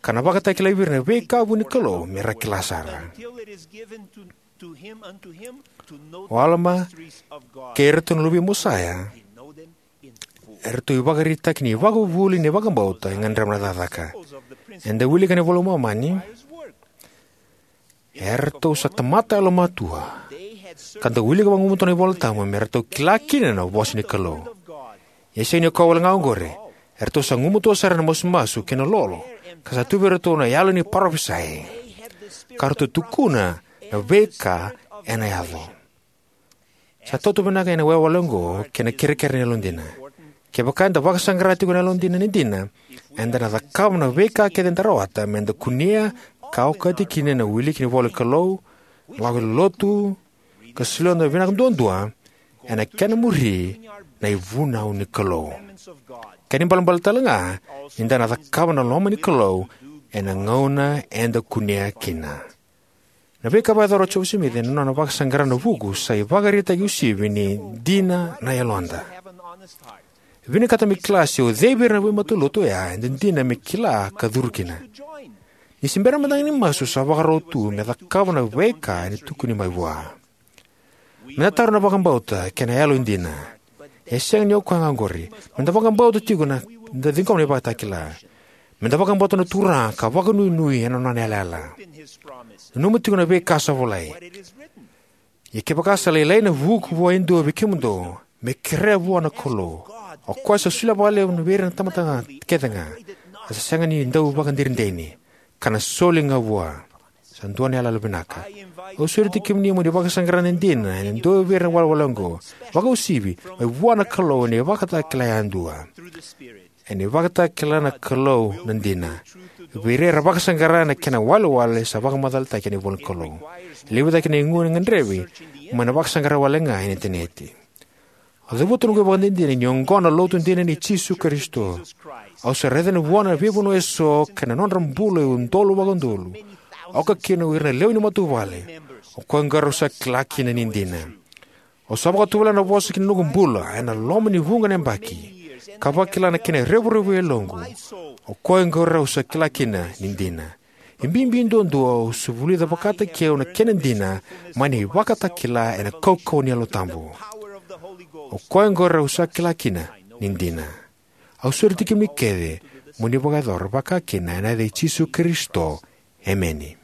ka na vakatakilai vei ira na veika vuni Kalou me ra kila sara. O Alama kei iratou na luve i Mosaia, eratou ivakaraitaki ni ivakavuvuli ni vakabauta e gadreva na cakacaka. Eda wilika ena iVola i Momani, eratou sa tamata yalomatua, ka dau wilika vagumatua na iVola Tabu me ratou kila kina na vosa ni Kalou. Ia e sega ni o koya wale ga oqori, eratou sa gumatua sara ena masumasu kei na lolo, ka sa tu vei iratou na yalo ni parofisai, ka ratou tukuna na veika ena yaco. Sa tautauvata vinaka ena iwalewale oqo kei na kerekere ni yalodina. Kevaka eda vakasaqara tiko na yalodina ni dina, eda na cakava na veika kece eda rawata me da kunea ka okati kina na wiliki ni ivola ni Kalou, lako i lotu, ka solia noda vinaka duadua ena kena muri na ivunau ni Kalou. Kena ibalebale tale ga, ni da na cakava na loma ni Kalou ena gauna eda kunea kina. Na veika e vakayacora o Josefa Simici ena nona vakasaqara na vuku sa ivakaraitaki uasivi ni dina na yaloda. Vinakata me kila se o cei vei ira na veimatalotu oya e dina me kila ka curu kina. Ni se bera mada ga ni masu, sa vakarau tu me cakava na veika ena tukuni mai vua. Me da tara na vakabauta kei na yalo e dina. E sega ni o koya ga oqori. Me da vakabauta tiko na, da ciqoma na ivakatakila. Me da vakabauta na Turaga ka vakanuinui ena nona yalayala. Nanuma tiko na veika sa volai. Ia kevaka sa lailai na vuku vua e dua vei kemudou, me kerea vua na Kalou, o koya sa solia vakalevu vei ira na tamata kece ga, a sa sega ni dau vakaderideri, ka na soli ga vua. Sa dua na yalayala vinaka. Au sureti kemuni mo ni vakasaqara na dina ena dua vei ira na iwalewale oqo, vakauasivi mai vua na Kalou ena ivakatakila yadua. Ena ivakatakila na Kalou na dina. Vei ira era vakasaqara na kena iwalewale sa vakamacalataki ena ivola ni Kalou. E levu cake na igu e gadrevi mai na vakasaqara wale ga ena initaneti. Au cavuta noqu ivakadinadina ni oqo na Lotu dina nei Jisu Karisito. Au sa raica vua na veivanua eso kei na nodra bula e udolu vakaudolu, oka kina o ira na lewe ni matavuvale. O koya oqo rau sa kila kina ni dina. Au sa vakatovolea na vosa ki na noqu bula ena loma ni vuqa na yabaki, ka vakila na kena revurevu e yaloqu. O koya oqo rau sa kila kina ni dina. E bibi duadua au sa vulica vakataki au na kena dina mai na ivakatakila ena kaukauwa ni Yalo Tabu. O koya oqo rau sa kila kina ni dina. Au sureti kemuni kece mo ni vakayacora vakakina ena yaca i Jisu Karisito. Emeni.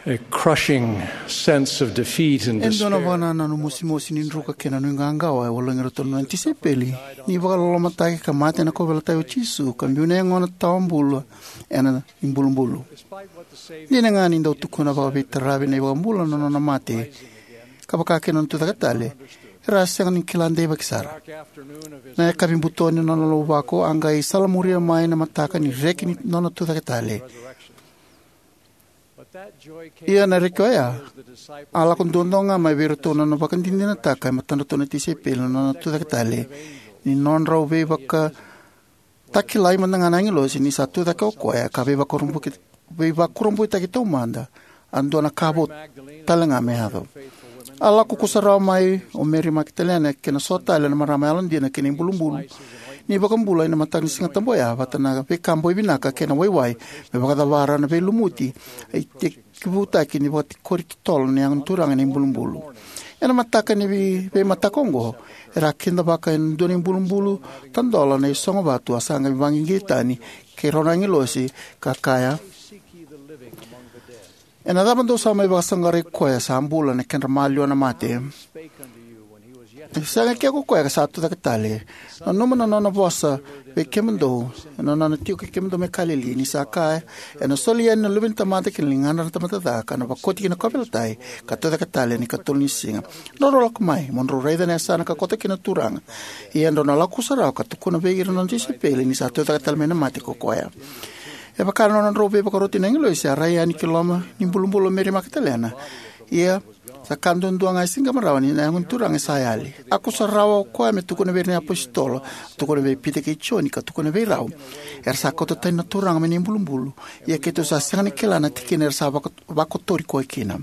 A crushing sense of defeat and despair. E dua na vakanananu mosimosi ni druka kei na nuiqawaqawa e vologi iratou na nona tisaipeli ni vakalolomataki ka mate ena kauveilatai o Jisu ka biu na yagona tawa bula ena ibulubulu. Dina ga ni dau tukuna vakaveitaravi na iVakabula na nona mate ka vakakina na nona tucake tale, era a sega ni kila deivaki sara. Na yakavi buto ni nona lauvako a qai salamuria mai na mataka ni reki ni nona tucake tale. Ia na reki oya a lako duadua ga mai vei iratou na nona vakadinadinataka e matadratou na tisaipeli na nona tucake tale, ni nodrau veivakatakilai mada ga na agilosi ni sa tucake o koya ka veivakurabuitaki, veivakurabuitaki taumada, a dua na ka vou tale ga me yaco. A lako kusarawa mai o Meri Makitalena kei na so tale na marama yalodina ki na ibulubulu ni iVakabula ena mataka ni Siga Tabu oya, vata na veika boi vinaka kei na waiwai me vakacavara na veilumuti e tekivutaki ni vakatikori totolo na Yago ni Turaga ena ibulubulu. Ena mataka ni vei-, veimataka oqo, era a kidavaka ena dua na ibulubulu tadola na isogo vatu a sa qai vaqiqi tani kei rau na agilosi ka kaya, "Ena cava dou sa mai vakasaqarai koya sa bula ena kedra maliwa na mate? E sega ke ko koya ka sa tucake tale? Nanuma na nona vosa vei kemudou ena nona tiko kei kemudou mai Kalili, ni sa kaya, ena soli yani na Luve ni tamata ki na ligadra na tamata ca, ka na vakoti ki na kauveilatai, ka tucake tale ena ikatolu ni siga. Drau lako mai, mo drau raica na yasana ka koto kina na Turaga. Ia drau na lako kusarawa ka tukuna vei ira na nona tisaipeli ni sa tucake tale mai na mate ko koya." E vaka na nodrau veivakaroti na agilosi, a rai yani ki loma ni bulubulu o Meri Makitalena. Ia sa ka duadua ga e siqema rawa ni na Yago ni Turaga e sa yali. A kusarawa o koya me tukuna vei ira na iapositolo, tukuna vei Pita kei Joni, ka tukuna vei rau, "Era sa kauta tani na Turaga mai na ibulubulu. Ia keitou sa sega ni kila na tikina era sa vako-, vakotori koya kina."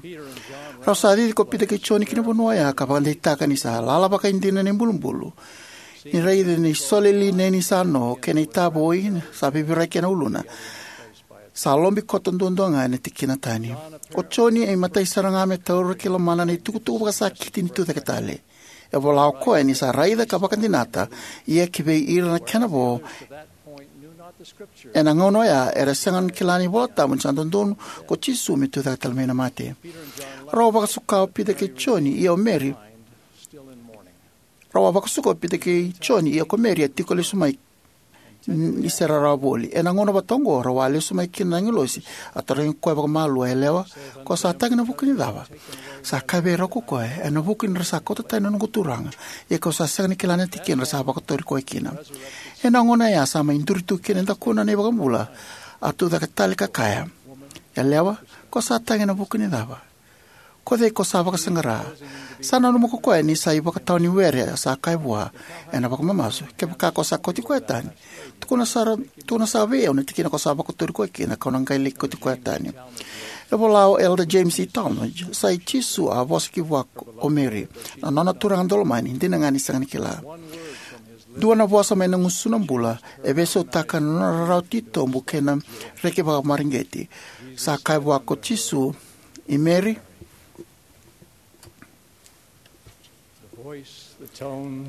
Rau sa cici ko Pita kei Joni ki na vanua oya ka vakadeitaka ni sa lala vakaidina na ibulubulu. Ni raica na isole lineni sa no kei na itavoi sa vivirai kei na uluna, sa lobi koto duadua ga ena tikina tani. O Joni e imatai sara ga me taura ki lomana na itukutuku vakasakiti ni tucake tale. E vola o koya ni sa raica ka vakadinata, ia ki vei ira na kena vo ena gauna oya era sega ni kila na iVola Tabu ni sa dodonu ko Jisu me tucake tale mai na mate. Rau a vakasuka o Pita kei Joni, ia o Meri. Rau a vakasuka o Pita kei Joni, ia ko Meri a tiko lesu mai ni se rarawa voli. Ena gauna vata oqo rau a lesu mai kina na agilosi, a tarogi koya vakamalua, "Yalewa, ko sa tagi ena vuku ni cava?" Sa kaya vei rau ko koya, "Ena vuku ni ra sa kauta tani na noqu Turaga, ia kau sa sega ni kila na tikina ra sa vakotori koya kina." Ena gauna ya sa mai duri tu kina e dakuna na iVakabula, a tucake tale ka kaya, "Yalewa, ko sa tagi ena vuku ni cava? Ko cei ko sa vakasaqara?" Sa nanuma ko koya ni sa ivakatawa ni were, a sa kaya vua ena vakamamasu, "Kevaka ko sa kauti koya tani, tukuna sara, tukuna sara vei au na tikina ko sa vakotori koya kina, kau na qai laki kauti koya tani." E vola o Elder James E. Talmage, "Sa i Jisu a vosa ki vua o Meri, na nona Turaga daulomani, dina ga ni sega ni kila. Dua na vosa mai na gusuna bula e veisautaka na nona rarawa titobu kei na reki vakamareqeti. Sa kaya vua ko Jisu, 'I Meri.'"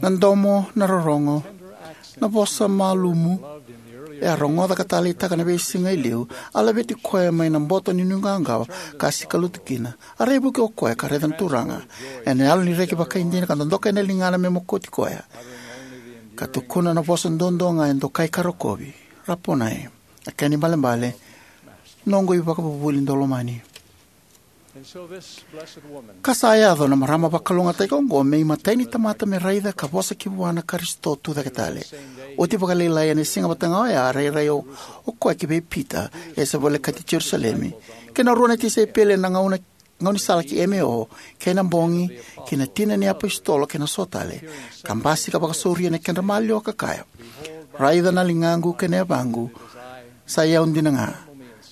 Na domo, na rorogo, na vosa malumu e a rogoca ka taleitaka na veisiga e liu a laveti koya mai na boto ni nuiqawaqawa ka a sikalutu kina. A raivuki o koya ka raica na Turaga ena yalo ni reki vakaidina ka dodoka ena ligana me mokoti koya, ka tukuna na vosa duadua ga e dokai ka rokovi, "Raponai," a kena ibalebale, "Noqu iVakavuvuli daulomani." Ka sa yaco na marama vakalougatataki oqo me imatai ni tamata me raica ka vosa ki vua na Karisito tucake tale. Oti vakalailai ena siga vata ga oya, a rairai o, o koya ki vei Pita e se volekati Jerusalemi, kei na rua na tisaipeli ena gauna, gaunisala ki Emeo, kei na bogi ki na tina ni iapositolo kei na so tale, ka basika vakasauri ena kedra maliwa ka kaya, "Raica na ligaqu kei na yavaqu, sa i au dina ga.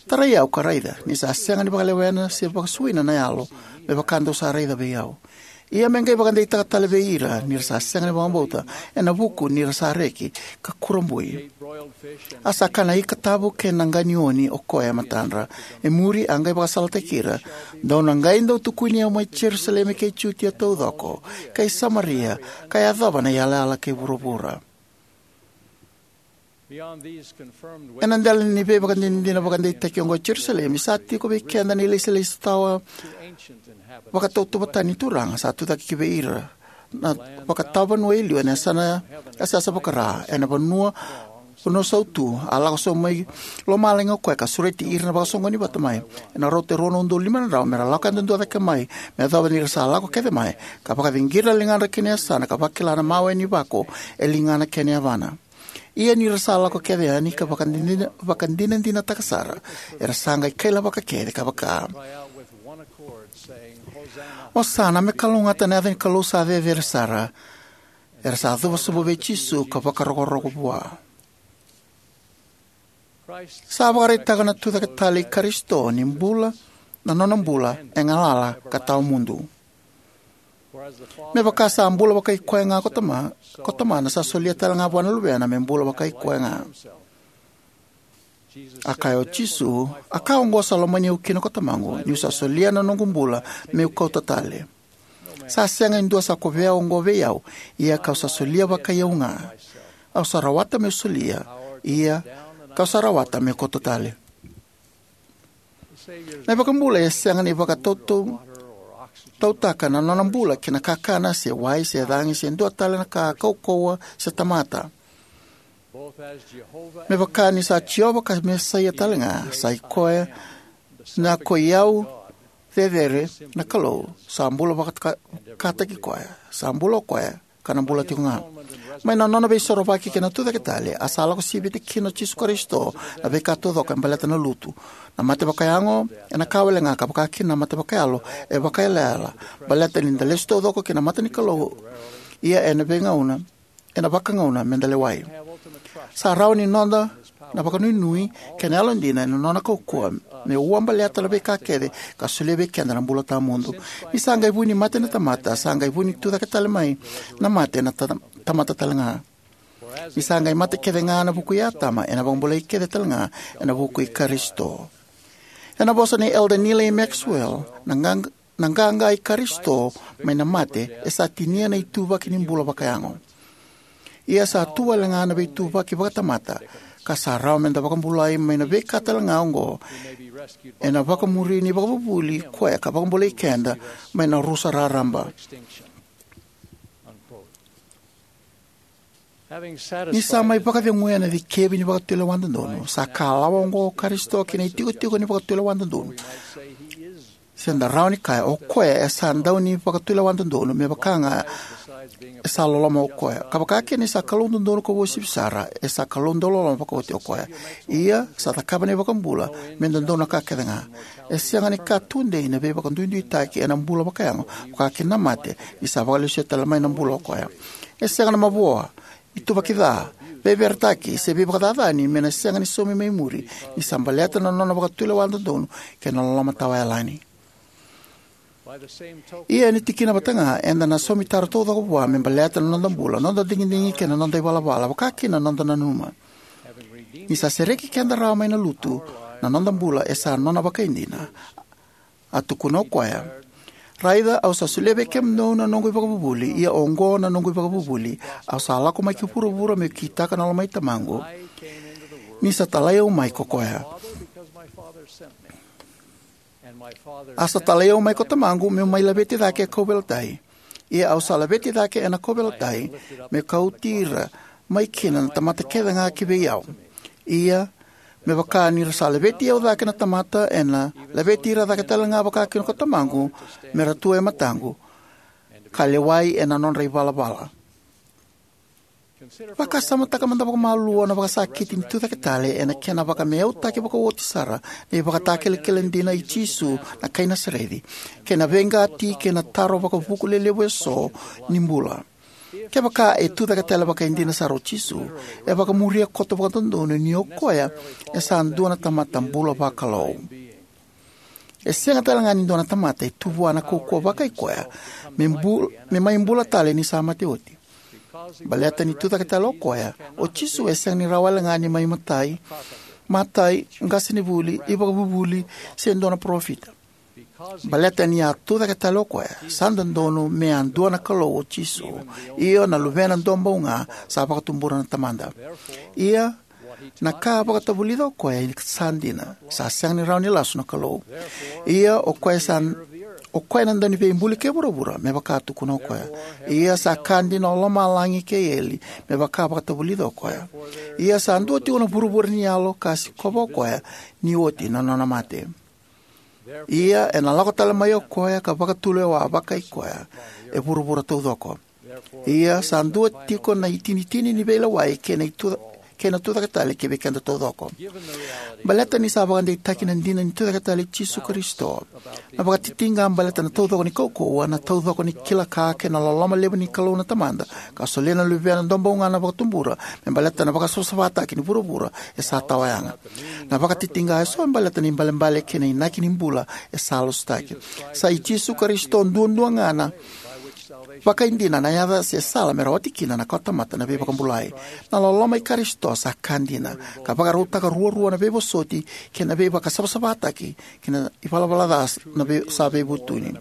Tarai au ka raica, ni sa sega ni vakalewena se vakasuina na yalo me vaka dou sa raica vei au." Ia me qai vakadeitaka tale vei ira ni ra sa sega ni vakabauta, ena vuku ni ra sa reki ka kurabui. A sa kana ika tavu kei na qa ni oni o koya e matadra. E muri a qai vakasalataki ira: Dou na qai dau tukuni au mai Jerusalemi kei Jutia taucoko, kei Samaria, ka yacova na iyalayala kei vuravura. Ena dela ni veivakadinadina vakadeitaki oqo e Jerusalemi, sa tiko vei keda na ilesilesi tawa vakatautauvata ni Turaga sa tucake kivei ira na vakatawa vanua e liu ena yasana, yasayasa vaka-Ra, ena vanua, vanua sautu. A lako sobu mai lomalagi o koya ka sureti ira na vakasoqoni vata mai ena rauta e rua na udolu lima na drau, me ra lako yadudua cake mai, me yacova ni ra sa lako kece mai, ka vakaciqira na ligadra ki na yasana, ka vakila na mawe ni vako e ligana kei na yavana. Ia ni ra sa lako kece yani ka vakadina-, vakadinadinataka sara, era sa qai kailavaka kece ka vaka: Osana, me kalougata na yaca ni Kalou sa Cecere Sara. Era sa cuva sobu vei Jisu ka vakarokoroko vua. Sa vakaraitaka na tucake tale i Karisito ni bula, na nona bula e galala ka tawa mudu. Me vaka sa bula vakai koya ga ko Tama-, ko Tamana, sa solia tale ga vua na Luvena me bula vakai koya ga. A kaya o Jisu: A ka oqo sa lomani au kina ko Tamaqu, niu sa solia na noqu bula meu kauta tale. Sa sega e dua sa kovea oqo vei au, ia kau sa solia vakai au ga. Au sa rawata meu solia, ia kau sa rawata meu kauta tale. Na iVakabula e sega ni vakatauta-, tautaka na nona bula ki na kakana, se wai, se cagi, se dua tale na ka kaukauwa se tamata. Me vaka ni sa Jiova ka Mesaia tale ga, sa i koya na ko i au cecere na Kalou, sa bula vakataka-, kataki koya, sa bula o koya, ka na bula tiko ga. Mai na nona veisorovaki kei na tucake tale, a sa lako sivita kina o Jisu Karisito na veika taucoko e baleta na lutu. Na mate vakayago, ena ka wale ga, ka vaka kina na mate vakayalo, e vakaiyalayala, baleta ni da lesu taucoko ki na mata ni Kalou, ia ena veigauna, ena vakagauna me da lewai. Sa rawa ni noda na vakanuinui kei na yalodina ena nona kaukauwa me ua baleta na veika kece ka solia vei keda na bula tawamudu. Ni sa qai vu ni mate na tamata, sa qai vu ni tucake tale mai na mate na ta-, tamata tale ga. Ni sa qai mate kece ga ena vuku i Atama, ena vakabulai kece tale ga ena vuku i Karisito. Ena vosa nei Elder Neal A. Maxwell, na qaq-, na qaqa i Karisito mai na mate e sa tinia na ituvaki ni bula vakayago. Ia sa tu wale ga na veituvaki vakatamata, ka sa rawa me da vakabulai mai na veika tale ga oqo, ena vakamuri ni ivakavuvuli koya ka vakabulai keda mai na rusa raraba. Ni sa mai vakaceguya na cikevi ni vakatulewa dodonu, sa kalawa oqo o Karisito ki na itikotiko ni vakatulewa dodonu. Se da rawa ni kaya, o koya e sa dau ni vakatulewa dodonu, me vaka ga e sa loloma o koya. Ka vaka kina ni sa Kalou dodonu ka uasivi sara, e sa Kalou dau loloma vakauti o koya. Ia, sa cakava na iVakabula me dodonu na ka kece ga. E sega ni ka tudei na veivakaduiduitaki ena bula vakayago, vaka kina na mate, ni sa vakalesuya tale mai na bula o koya. E sega na mavoa, ituvaki ca, veiveretaki, se veivakacacani me na sega ni saumi mai muri, ni sa baleta na nona vakatulewa dodonu kei na loloma tawayalani. Ia ena tikina vata ga, eda na saumi taro taucoko vua me baleta na noda bula, noda digidigi kei na noda ivalavala, vaka kina na noda nanuma. Ni sa sereki keda rawa mai na lutu, na noda bula e sa nona vakaidina. A tukuna o koya: Raica, au sa solia vei kemudou na noqu ivakavuvuli, ia oqo na noqu ivakavuvuli, au sa lako mai ki vuravura meu kitaka na lomai Tamaqu, ni sa talai au mai ko koya. A sa talai au mai ko Tamaqu meu mai laveti cake e kauveilatai. Ia au sa laveti cake ena kauveilatai, me kauti ira mai kina na tamata kece ga ki vei au. Ia, me vaka ni ra sa laveti au cake na tamata, ena laveti ira cake tale ga vaka kina ko Tamaqu, me ra tu e mataqu, ka lewai ena nodra ivalavala. Vakasamataka mada vakamalua na vakasakiti ni tucake tale, ena kena vakameautaki vakaoti sara na ivakatakilakila dina i Jisu na kai Nasareci, kei na veiqati kei na taro vakavuku lelevu eso ni bula. Kevaka e tucake tale vakaidina sara o Jisu, e vakamuria koto vakadodonu ni o koya e sa dua na tamata bula vakalou. E sega tale ga ni dua na tamata e tu vua na kaukauwa vakai koya me, bul, me mai bula tale ni sa mate oti. Baleta ni tucake tale o koya, o Jisu e sega ni rawa wale ga ni mai matai, matai, qasenivuli, ivakavuvuli, se dua na parofita. Baleta ni a tucake tale o koya, sa dodonu me a dua na Kalou o Jisu, io na Luvena duabau ga sa vakatubura na Tamada. Ia, na ka a vakatavulica o koya e sa dina, sa sega ni rawa ni lasu na Kalou. Ia, o koya sa, o koya na Dauniveibuli kei vuravura, me vaka a tukuna o koya. Ia, sa ka dina o lomalagi kei eli, me vaka a vakatavulica o koya. Ia, sa dua tiko na vuravura ni yalo ka sikova o koya, ni oti na nona mate. Ia, ena lako tale mai o koya ka vakatulewa vakai koya e vuravura taucoko. Ia, sa dua tiko na itinitini ni veilewai kei na itu, kei na tucake tale ki vei keda taucoko. Baleta ni sa vakadeitaki na dina ni tucake tale i Jisu Karisito, na vakatitiqa baleta na taucoko ni kaukauwa, na taucoko ni kila ka kei na loloma levu ni Kalou na Tamada, ka solia na Luvena duabau ga na vakatubura me baleta na vakasavasavataki ni vuravura e sa tawayaga. Na vakatitiqa eso e baleta na ibalebale kei na inaki ni bula e sa lasutaki. Sa i Jisu Karisito duadua ga na vakaidina na yaca se sala me rawati kina na kawatamata na veivakabulai. Na loloma i Karisito sa ka dina, ka vakarautaka ruarua na veivosoti kei na veivakasavasavataki kei na ivalavala ca na vei, sa veivutuni.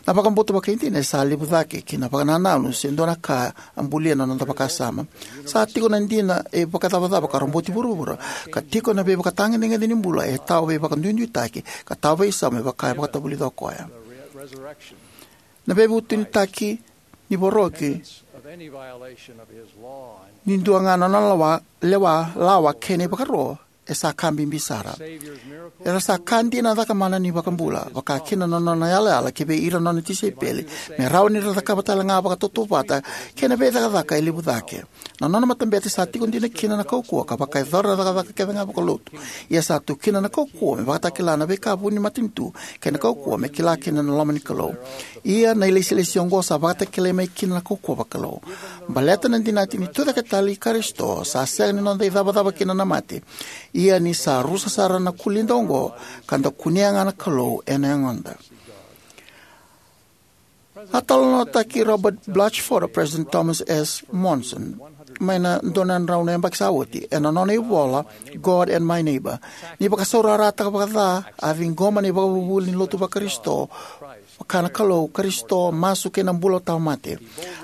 Na vakabauta vakaidina e sa levu cake ki na vakanananu se dua na ka a bulia na noda vakasama. Sa tiko na dina e vakacavacava ka roboti vuravura, ka tiko na veivakatagedegede ni bula e tawa veivakaduiduitaki ka tawa veisau me vaka e vakatavulica o koya. Na veivutunitaki ni voroki ni dua ga na nona lawa, lewa, lawa kei na ivakaro e sa ka bibi sara. Era sa ka dina na cakamana ni iVakabula, vaka kina na nona yalayala ki vei ira na nona tisaipeli, me rawa ni ra cakava tale ga vakatautauvata kei na veicakacaka e levu cake. Na nona matabete sa tiko dina kina na kaukauwa ka vakayacora na cakacaka kece ga vakalotu. Ia sa tu kina na kaukauwa me vakatakila na veika vuni matanitu kei na kaukauwa me kila kina na loma ni Kalou. Ia na ilesilesi oqo sa vakatakilai mai kina na kaukauwa vakalou. Baleta na dinati ni tucake tale i Karisito, sa sega ni noda icavacava kina na mate. Ia ni sa rusa sara na kulida oqo, ka da kunea ga na Kalou ena yagoda. A talanoataki Robert Blatchford o President Thomas S. Monson mai na dua na drau na yabaki sa oti, ena nona ivola God and My Neighbor, ni vakasaurarataka vakaca a ciqoma na ivakavuvuli ni lotu vaKarisito, vaka na Kalou, Karisito, masu kei na bula tawamate.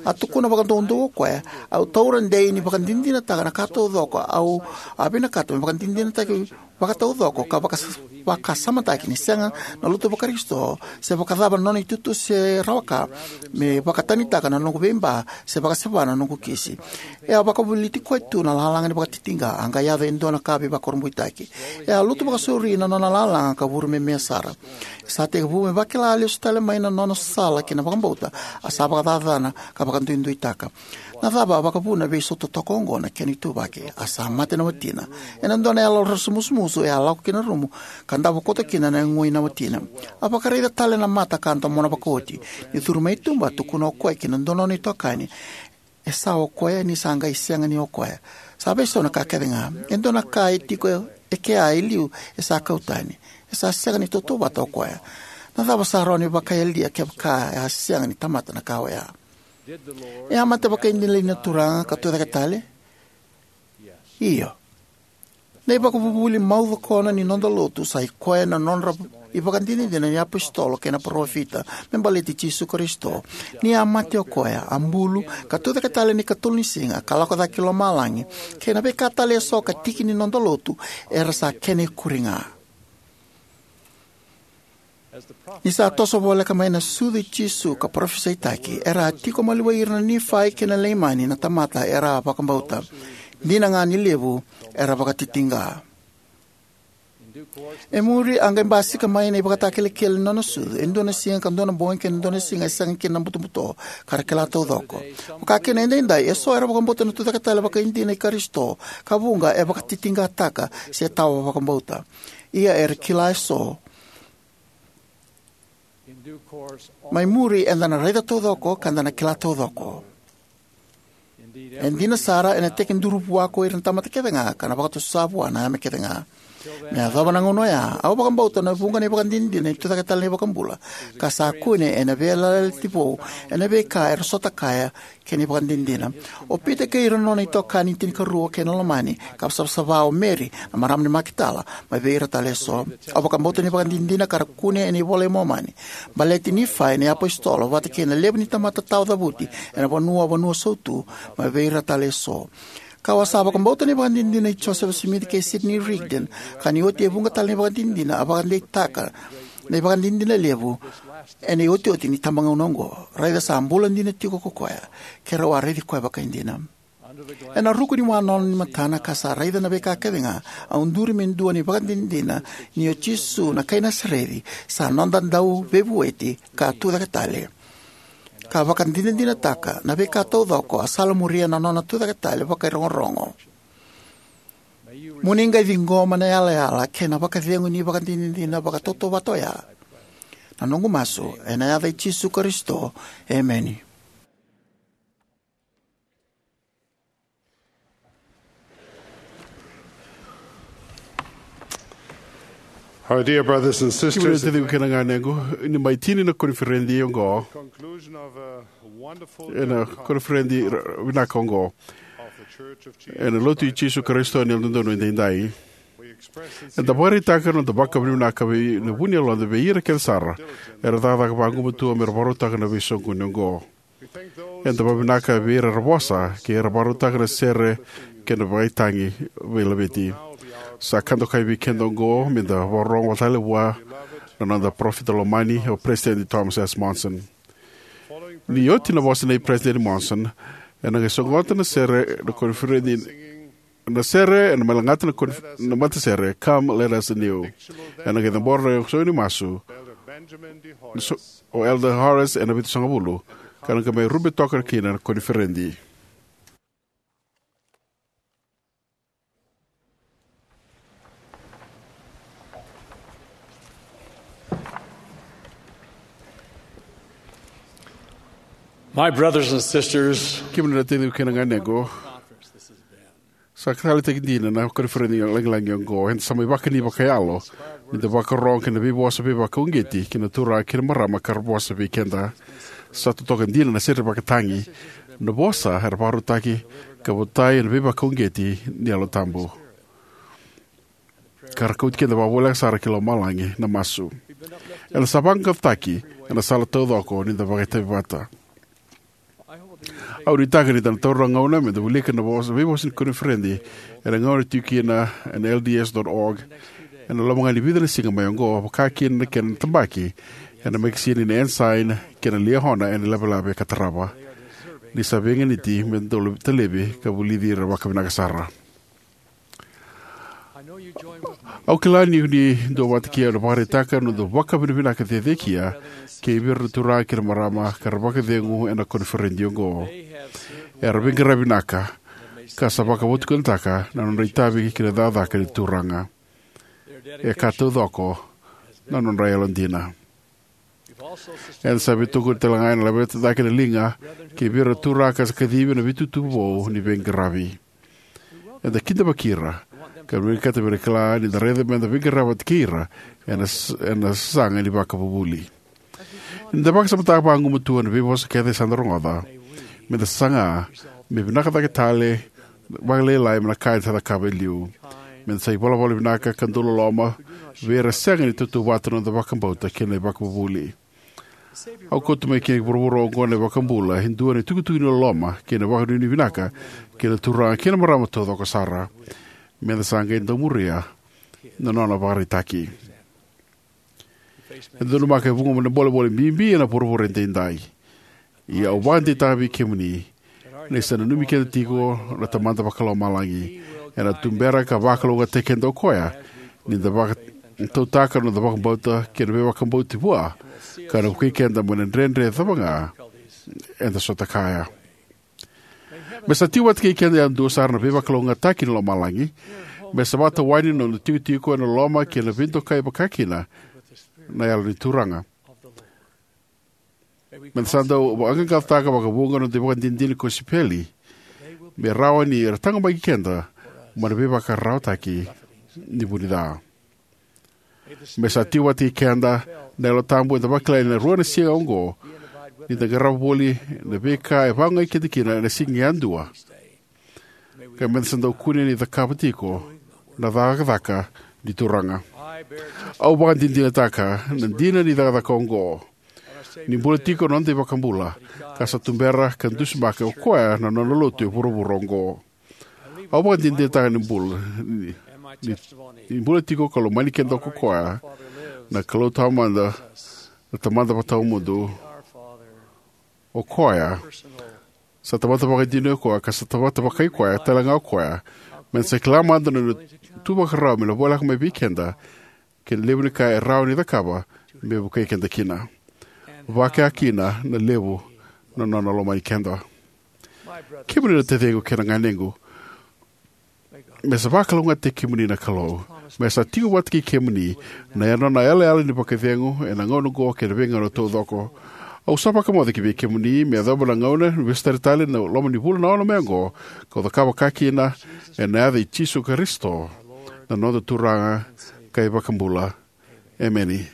A tukuna vakadoudou o koya, au taura dei ni vakadinadinataka na ka taucoko au a vinakata me vakadinadinataki vakataucoko ka vakas-, vakasamataki ni sega na lotu vaKarisito se vakacava na nona itutu se rawa ka me vakatanitaka na noqu veiba se vakaseva na noqu kisi. E a vakavoliti koya tu na lalaga ni vakatitiqa, a qai yaco e dua na ka veivakurabuitaki. E a lutu vakasauri na nona lalaga ka vuru me me sara. E sa tekivu me vakila lesu tale mai na nona sala ki na vakabauta, a sa vakacacana ka vakaduiduitaka. Na cava a vakavuna vei so totoka oqo na kena ituvaki? A sa mate na watina. Ena dua na yalo raramusumusu e a lako ki na rumu ka davo koto kina na yago i na watina. A vakaraica tale na mata ka domona vakaoti. Ni curu mai tuba, a tukuna o koya ki na dua na nona itokani, e sa o koya ni sa qai sega ni o koya. Sa veisau na ka kece ga. E dua na ka e tiko e kea e liu e sa kau tani. E sa sega ni tautauvata o koya. Na cava sa rawa ni vakayalia kevaka e a sega ni tamata na ka oya? E a mate vakaidina li na Turaga ka tucake tale? Io. Na ivakavuvuli mau cokona ni noda lotu sa i koya na nodra ivakadinadina ni apositolo kei na parofita me baleti Jisu Karisito. Ni a mate o koya, a bulu, ka tucake tale ni katolu ni siga, ka lako cake ki lomalagi, kei na veika tale eso ka tiki ni noda lotu, era sa kena ikuri ga. Ni sa toso voleka mai na sucu i Jisu ka parofisaitaki, era a tiko maliwai ira na Nifai kei na Leimani na tamata era a vakabauta. Dina ga ni levu era vakatitiqa. E muri a qai basika mai na ivakatakilakila ni nona sucu, e dua na siga ka dua na bogi kei na dua na siga e sega kina na butobuto, ka ra kila taucoko. Vaka kina edaidai, eso era vakabauta na tucake tale vakaidina i Karisito, ka vuqa e vakatitiqataka se tawa vakabauta. Ia era kila eso. Mai muri eda na raica taucoko ka da na kila taucoko. E dina sara, ena tekiduru vua ko ira na tamata kece ga, ka na vakatusa vua na yame kece ga. Me yacova na gauna oya, au vakabauta na vuqa na ivakadinadina ni tucake tale na iVakabula, ka sa kune ena Veiyalayalati Vou, ena veika era sota kaya kei na ivakadinadina. O Pita kei ira na nona itokani tinikarua kei na lomani, ka savasava o Meri, na marama ni Makitala, mai vei ira tale eso. Au vakabauta na ivakadinadina ka ra kune ena iVola i Momani, baleti Nifai na iapositolo, vata kei na levu ni tamata tawa cavuti ena vanua, vanua sautu, mai vei ira tale eso. Kau a sa vakabauta na ivakadinadina i Josefa Simici kei Sidney Rigdon, ka ni oti e vuqa tale na ivakadinadina a vakadeitaka na ivakadinadina levu ena iotioti ni tabagauna oqo. Raica sa bula dina tiko ko koya, keirau a raici koya vakaidina. Ena ruku ni wanolo ni matana ka sa raica na veika kece ga, au duri me dua na ivakadinadina ni o Jisu na kai Nasareci sa noda Dauveivueti ka tucake tale, ka vakadinadinataka na veika taucoko a salamuria na nona tucake tale vakairogorogo. Mo ni qai ciqoma na yalayala kei na vakacegu ni ivakadinadina vakatautauvata oya. Na noqu masu ena yaca i Jisu Karisito. Emeni. Our dear brothers and Kemuni na sisters, taciqu kei na ganequ, ni mai tini na koniferedi oqo, conclusion of a wonderful ena koniferedi ra-, vinaka oqo, of the Church of Jesus ena Lotu i Christ Jisu Karisito ni Yalododonu Edaidai. We express sincere Eda vakaraitaka na noda vakavinavinaka vei na vu ni yaloda vei ira kece sara era cakacaka vagumatua me ra vakarautaka na veisoqoni oqo. Eda vakavinavinaka vei ira era vosa kei ira era vakarautaka na sere kei na vakaitagi veilaveti. Sa ka dokai vei keda oqo me da vakarorogo tale vua na noda parofita lomani, o Peresitedi Thomas S. Monson. Ni oti na vosa nei Peresitedi Monson, ena qai sogota na sere na koniferedi, na sere ena mai lagata na konif-, na matasere, Come, Let Us Kneel. Ena qai cabora na isogo ni masu, so-, o Elder Horace ena vitusagavulu, ka na qai mai rube toka kina na koniferedi. My brothers and sisters, kemuni na taciqu kei na ganequ, sa ka taleitaki dina na koniferedi lagilagi oqo. Eda sa mai vakani vakayalo ni da vakarorogo ki na veivosa veivakauqeti ki na turaga kei na marama ka ra vosa vei keda. Sa totoka dina na sere vakatagi, na vosa era vakarautaki ka votai ena veivakauqeti ni Yalo Tabu. Ka ra kauti keda vakavoleka sara ki lomalagi. Na masu. Eda sa vaqaqacotaki ena sala taucoko ni da vakaitavi vata. Au nuitaka ni da na taura na gauna me da wilika na vosa, veivosa ni koniferedi ena gauna e tiko kina ena L D S dot org ena loma ga ni vica na siga mai oqo, vaka kina na kena tabaki ena mekesini na Ensign kei na Liahona ena Lavelave ka tarava. Ni sa veiganiti me da dau talevi ka vulici ira vakavinaka sara. Au kila ni o ni duavata kei au ena vakaraitaka na noda vakavinavinaka cecekia kei vei ira na turaga kei na marama ka ra vakacegu ena koniferedi oqo. Era veiqaravi vinaka ka sa vakavotukanataka na nodra itavi ki na cakacaka ni Turaga. E ka taucoko na nodra yalodina. Eda sa veitokoni tale ga ena laveta cake na liga kei vei ira na turaga ka sa kacivi ena veitutu vou ni veiqaravi. Eda kidavaki ira ka vinakata me ra kila ni da raica me da veiqaravi vata kei ira ena s-, ena sasaga ni vakavuvuli. Ni da vakasamataka vagumatua na veivosa kece sa da rogoca, me da saga me vinaka cake tale vakalailai mai na ka eda sa cakava e liu. Me da sa ivalavala vinaka ka dau loloma vei ira e sega ni tautauvata na noda vakabauta kei na ivakavuvuli. Au kauta mai ki na vuravura oqo na iVakabula e dua na itukutuku ni loloma kei na vakanuinui vinaka ki na turaga kei na marama taucoko sara. Me da sa qai dau muria na nona ivakaraitaki. E donumaka e vuqa na bolebole bibi ena vuravura edaidai. Ia au vakadeitaka vei kemuni ni sa nanumi keda tiko na Tamada Vakalomalagi. Ena tubera ka vakalougatataki keda o koya ni da vakatautaka na noda vakabauta kei na veivakabauti vua, ka na vukei keda mai na dredre cava ga eda sota kaya. Me sa tiko vata kei keda yadua sara na veivakalougatataki ni lomalagi. Me sa vakatawani na noda itikotiko ena loloma kei na veidokai vakakina na Yalo ni Turaga. Me da sa dau vaqaqacotaka vakavuqa na noda ivakadinadina ni kosipeli. me rawa ni ra taqomaki keda mai na veivakararawataki ni vunica. Me sa tiko vata kei keda na Yalo Tabu eda vakila ena rua na siga oqo, ni da qarava voli na veika e vakaogai keda kina ena siga yadua, ka meda sa dau kune ni cakava tiko na cakacaka ni Turaga. Au vakadinadinataka na dina ni cakacaka oqo, ni bula tiko na noda iVakabula, ka sa tubera ka dusimaka o Koya na nona lotu e vuravura oqo. Au vakadinadinataka ni bula, ni, ni, ni bula tiko ka lomani keda ko Koya, na Kalou Tamada, na Tamada Vakatawamudu. O Koya sa Tamada vakaidina o Koya, ka sa Tamada vakai Koya talega o Koya. Meda sa kila mada na nona tu vakarau me na voleka mai vei keda, kei na levu ni ka e rawa ni cakava me vukei keda kina. Vakakina na levu na nona lomani keda. Kemuni na taciqu kei na ganequ, me sa vakalougatataki kemuni na Kalou. Me sa tiko vata kei kemuni na nona yalayala ni vakacegu ena gauna oqo kei na veigauna taucoko. Au sa vakamoce ki vei kemuni me yacova na gauna ni vesu tale na loma ni vula na ono mai oqo, kau cakava vakakina, ena yaca i Jisu Karisito, na noda Turaga ka iVakabula. Emeni.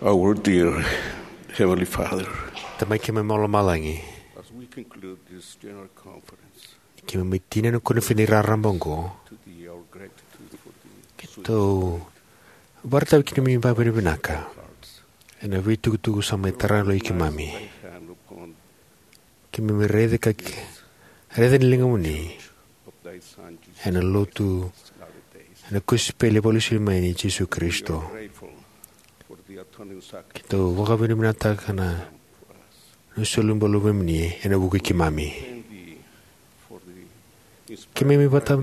Our dear Heavenly Father, Tamai keimami mai lomalagi, as we conclude this general conference, keimami mai tinia na koniferedi raraba oqo, to thee our gratitude for the keitou vakaraitaka na neimami vakavinavinaka ena veitukutuku sa mai tarai na yaloi keimami. Keimami raica ka ki, raica na ligamuni ena lotu, ena kosipeli vakalesui mai nei Jisu Karisito. Keitou vakavinavinakataka na, na soli bula vei kemuni ena vuku i keimami. Keimami vata,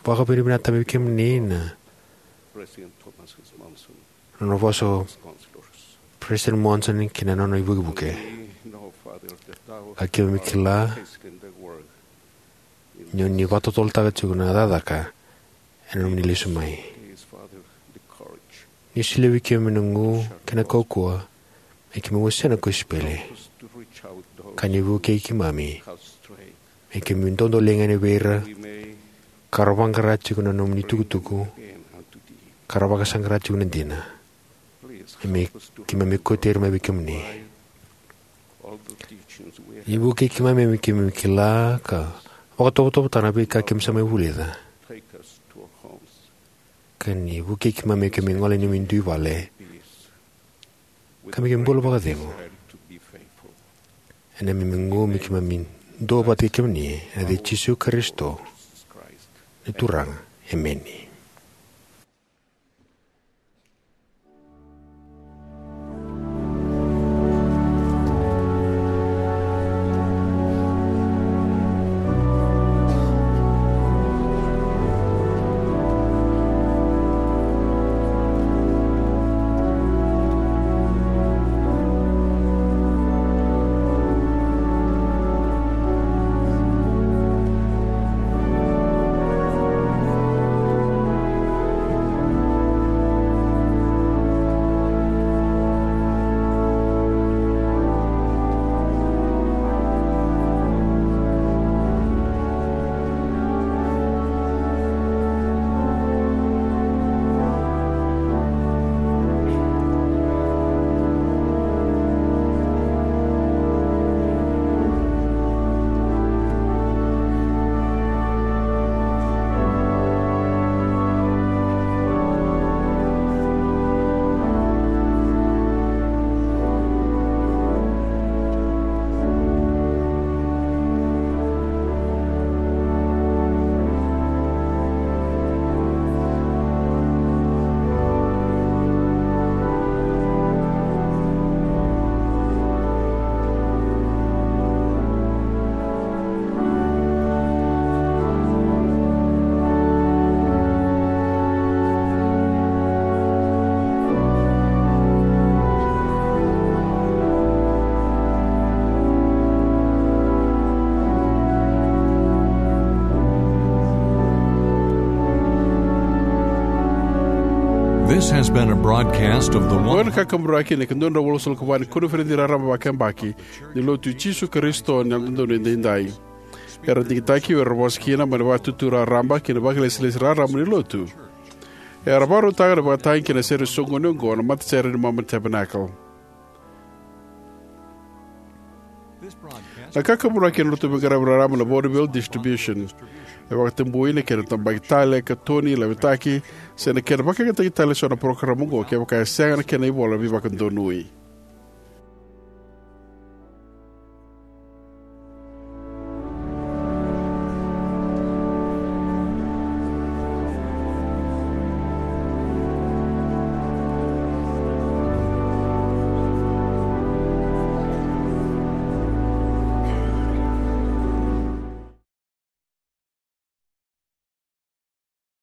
vakavinavinakataka vei kemuni na nona vosa o President Monson kei na nona ivukevuke. Ka keimami kila ni o ni vakatotolotaka tiko na cakacaka ena nomuni lesu mai. Ni solia vei keimami na gu kei na kaukauwa me keimami wasea na kosipeli, ka ni vukei keimami me keimami dodoliga yani vei ira ka ra vaqara tiko na nomuni tukutuku, ka ra vakasaqara tiko na dina. Me keimami kauti ira mai vei kemuni. Ni vukei keimami me keimami kila ka vakatovotovo tale na veika keimami sa mai vulica. Ka ni vukei keimami me keimami gole ena neimami dui vale, ka me keimami bula vakacegu. Ena neimami gu me keimami duavata kei kemuni, ena yaca i Jisu Karisito na Turaga. Emeni. This has been a broadcast of the Oqo na kakaburaki ni ika dua na drau walusagavulu ka va ni koniferedi raraba vakayabaki ni Lotu i Jisu Karisito ni Yalododonu Edaidai. Era digitaki, era vosa kina mai na Vakaitutu Raraba kei na Vakailesilesi Raraba ni Lotu. Era vakarautaka na ivakatagi kei na sere soqoni oqo na matasere ni Mormon Tabernacle. Na kakaburaki ena noda veiqaravi raraba na Vaudeville Distribution. E vakatabui na kena tabaki tale, katoni, lavetaki, se na kena vakayagataki tale eso na parokaramu oqo kevaka e sega na kena ivola veivakadonui.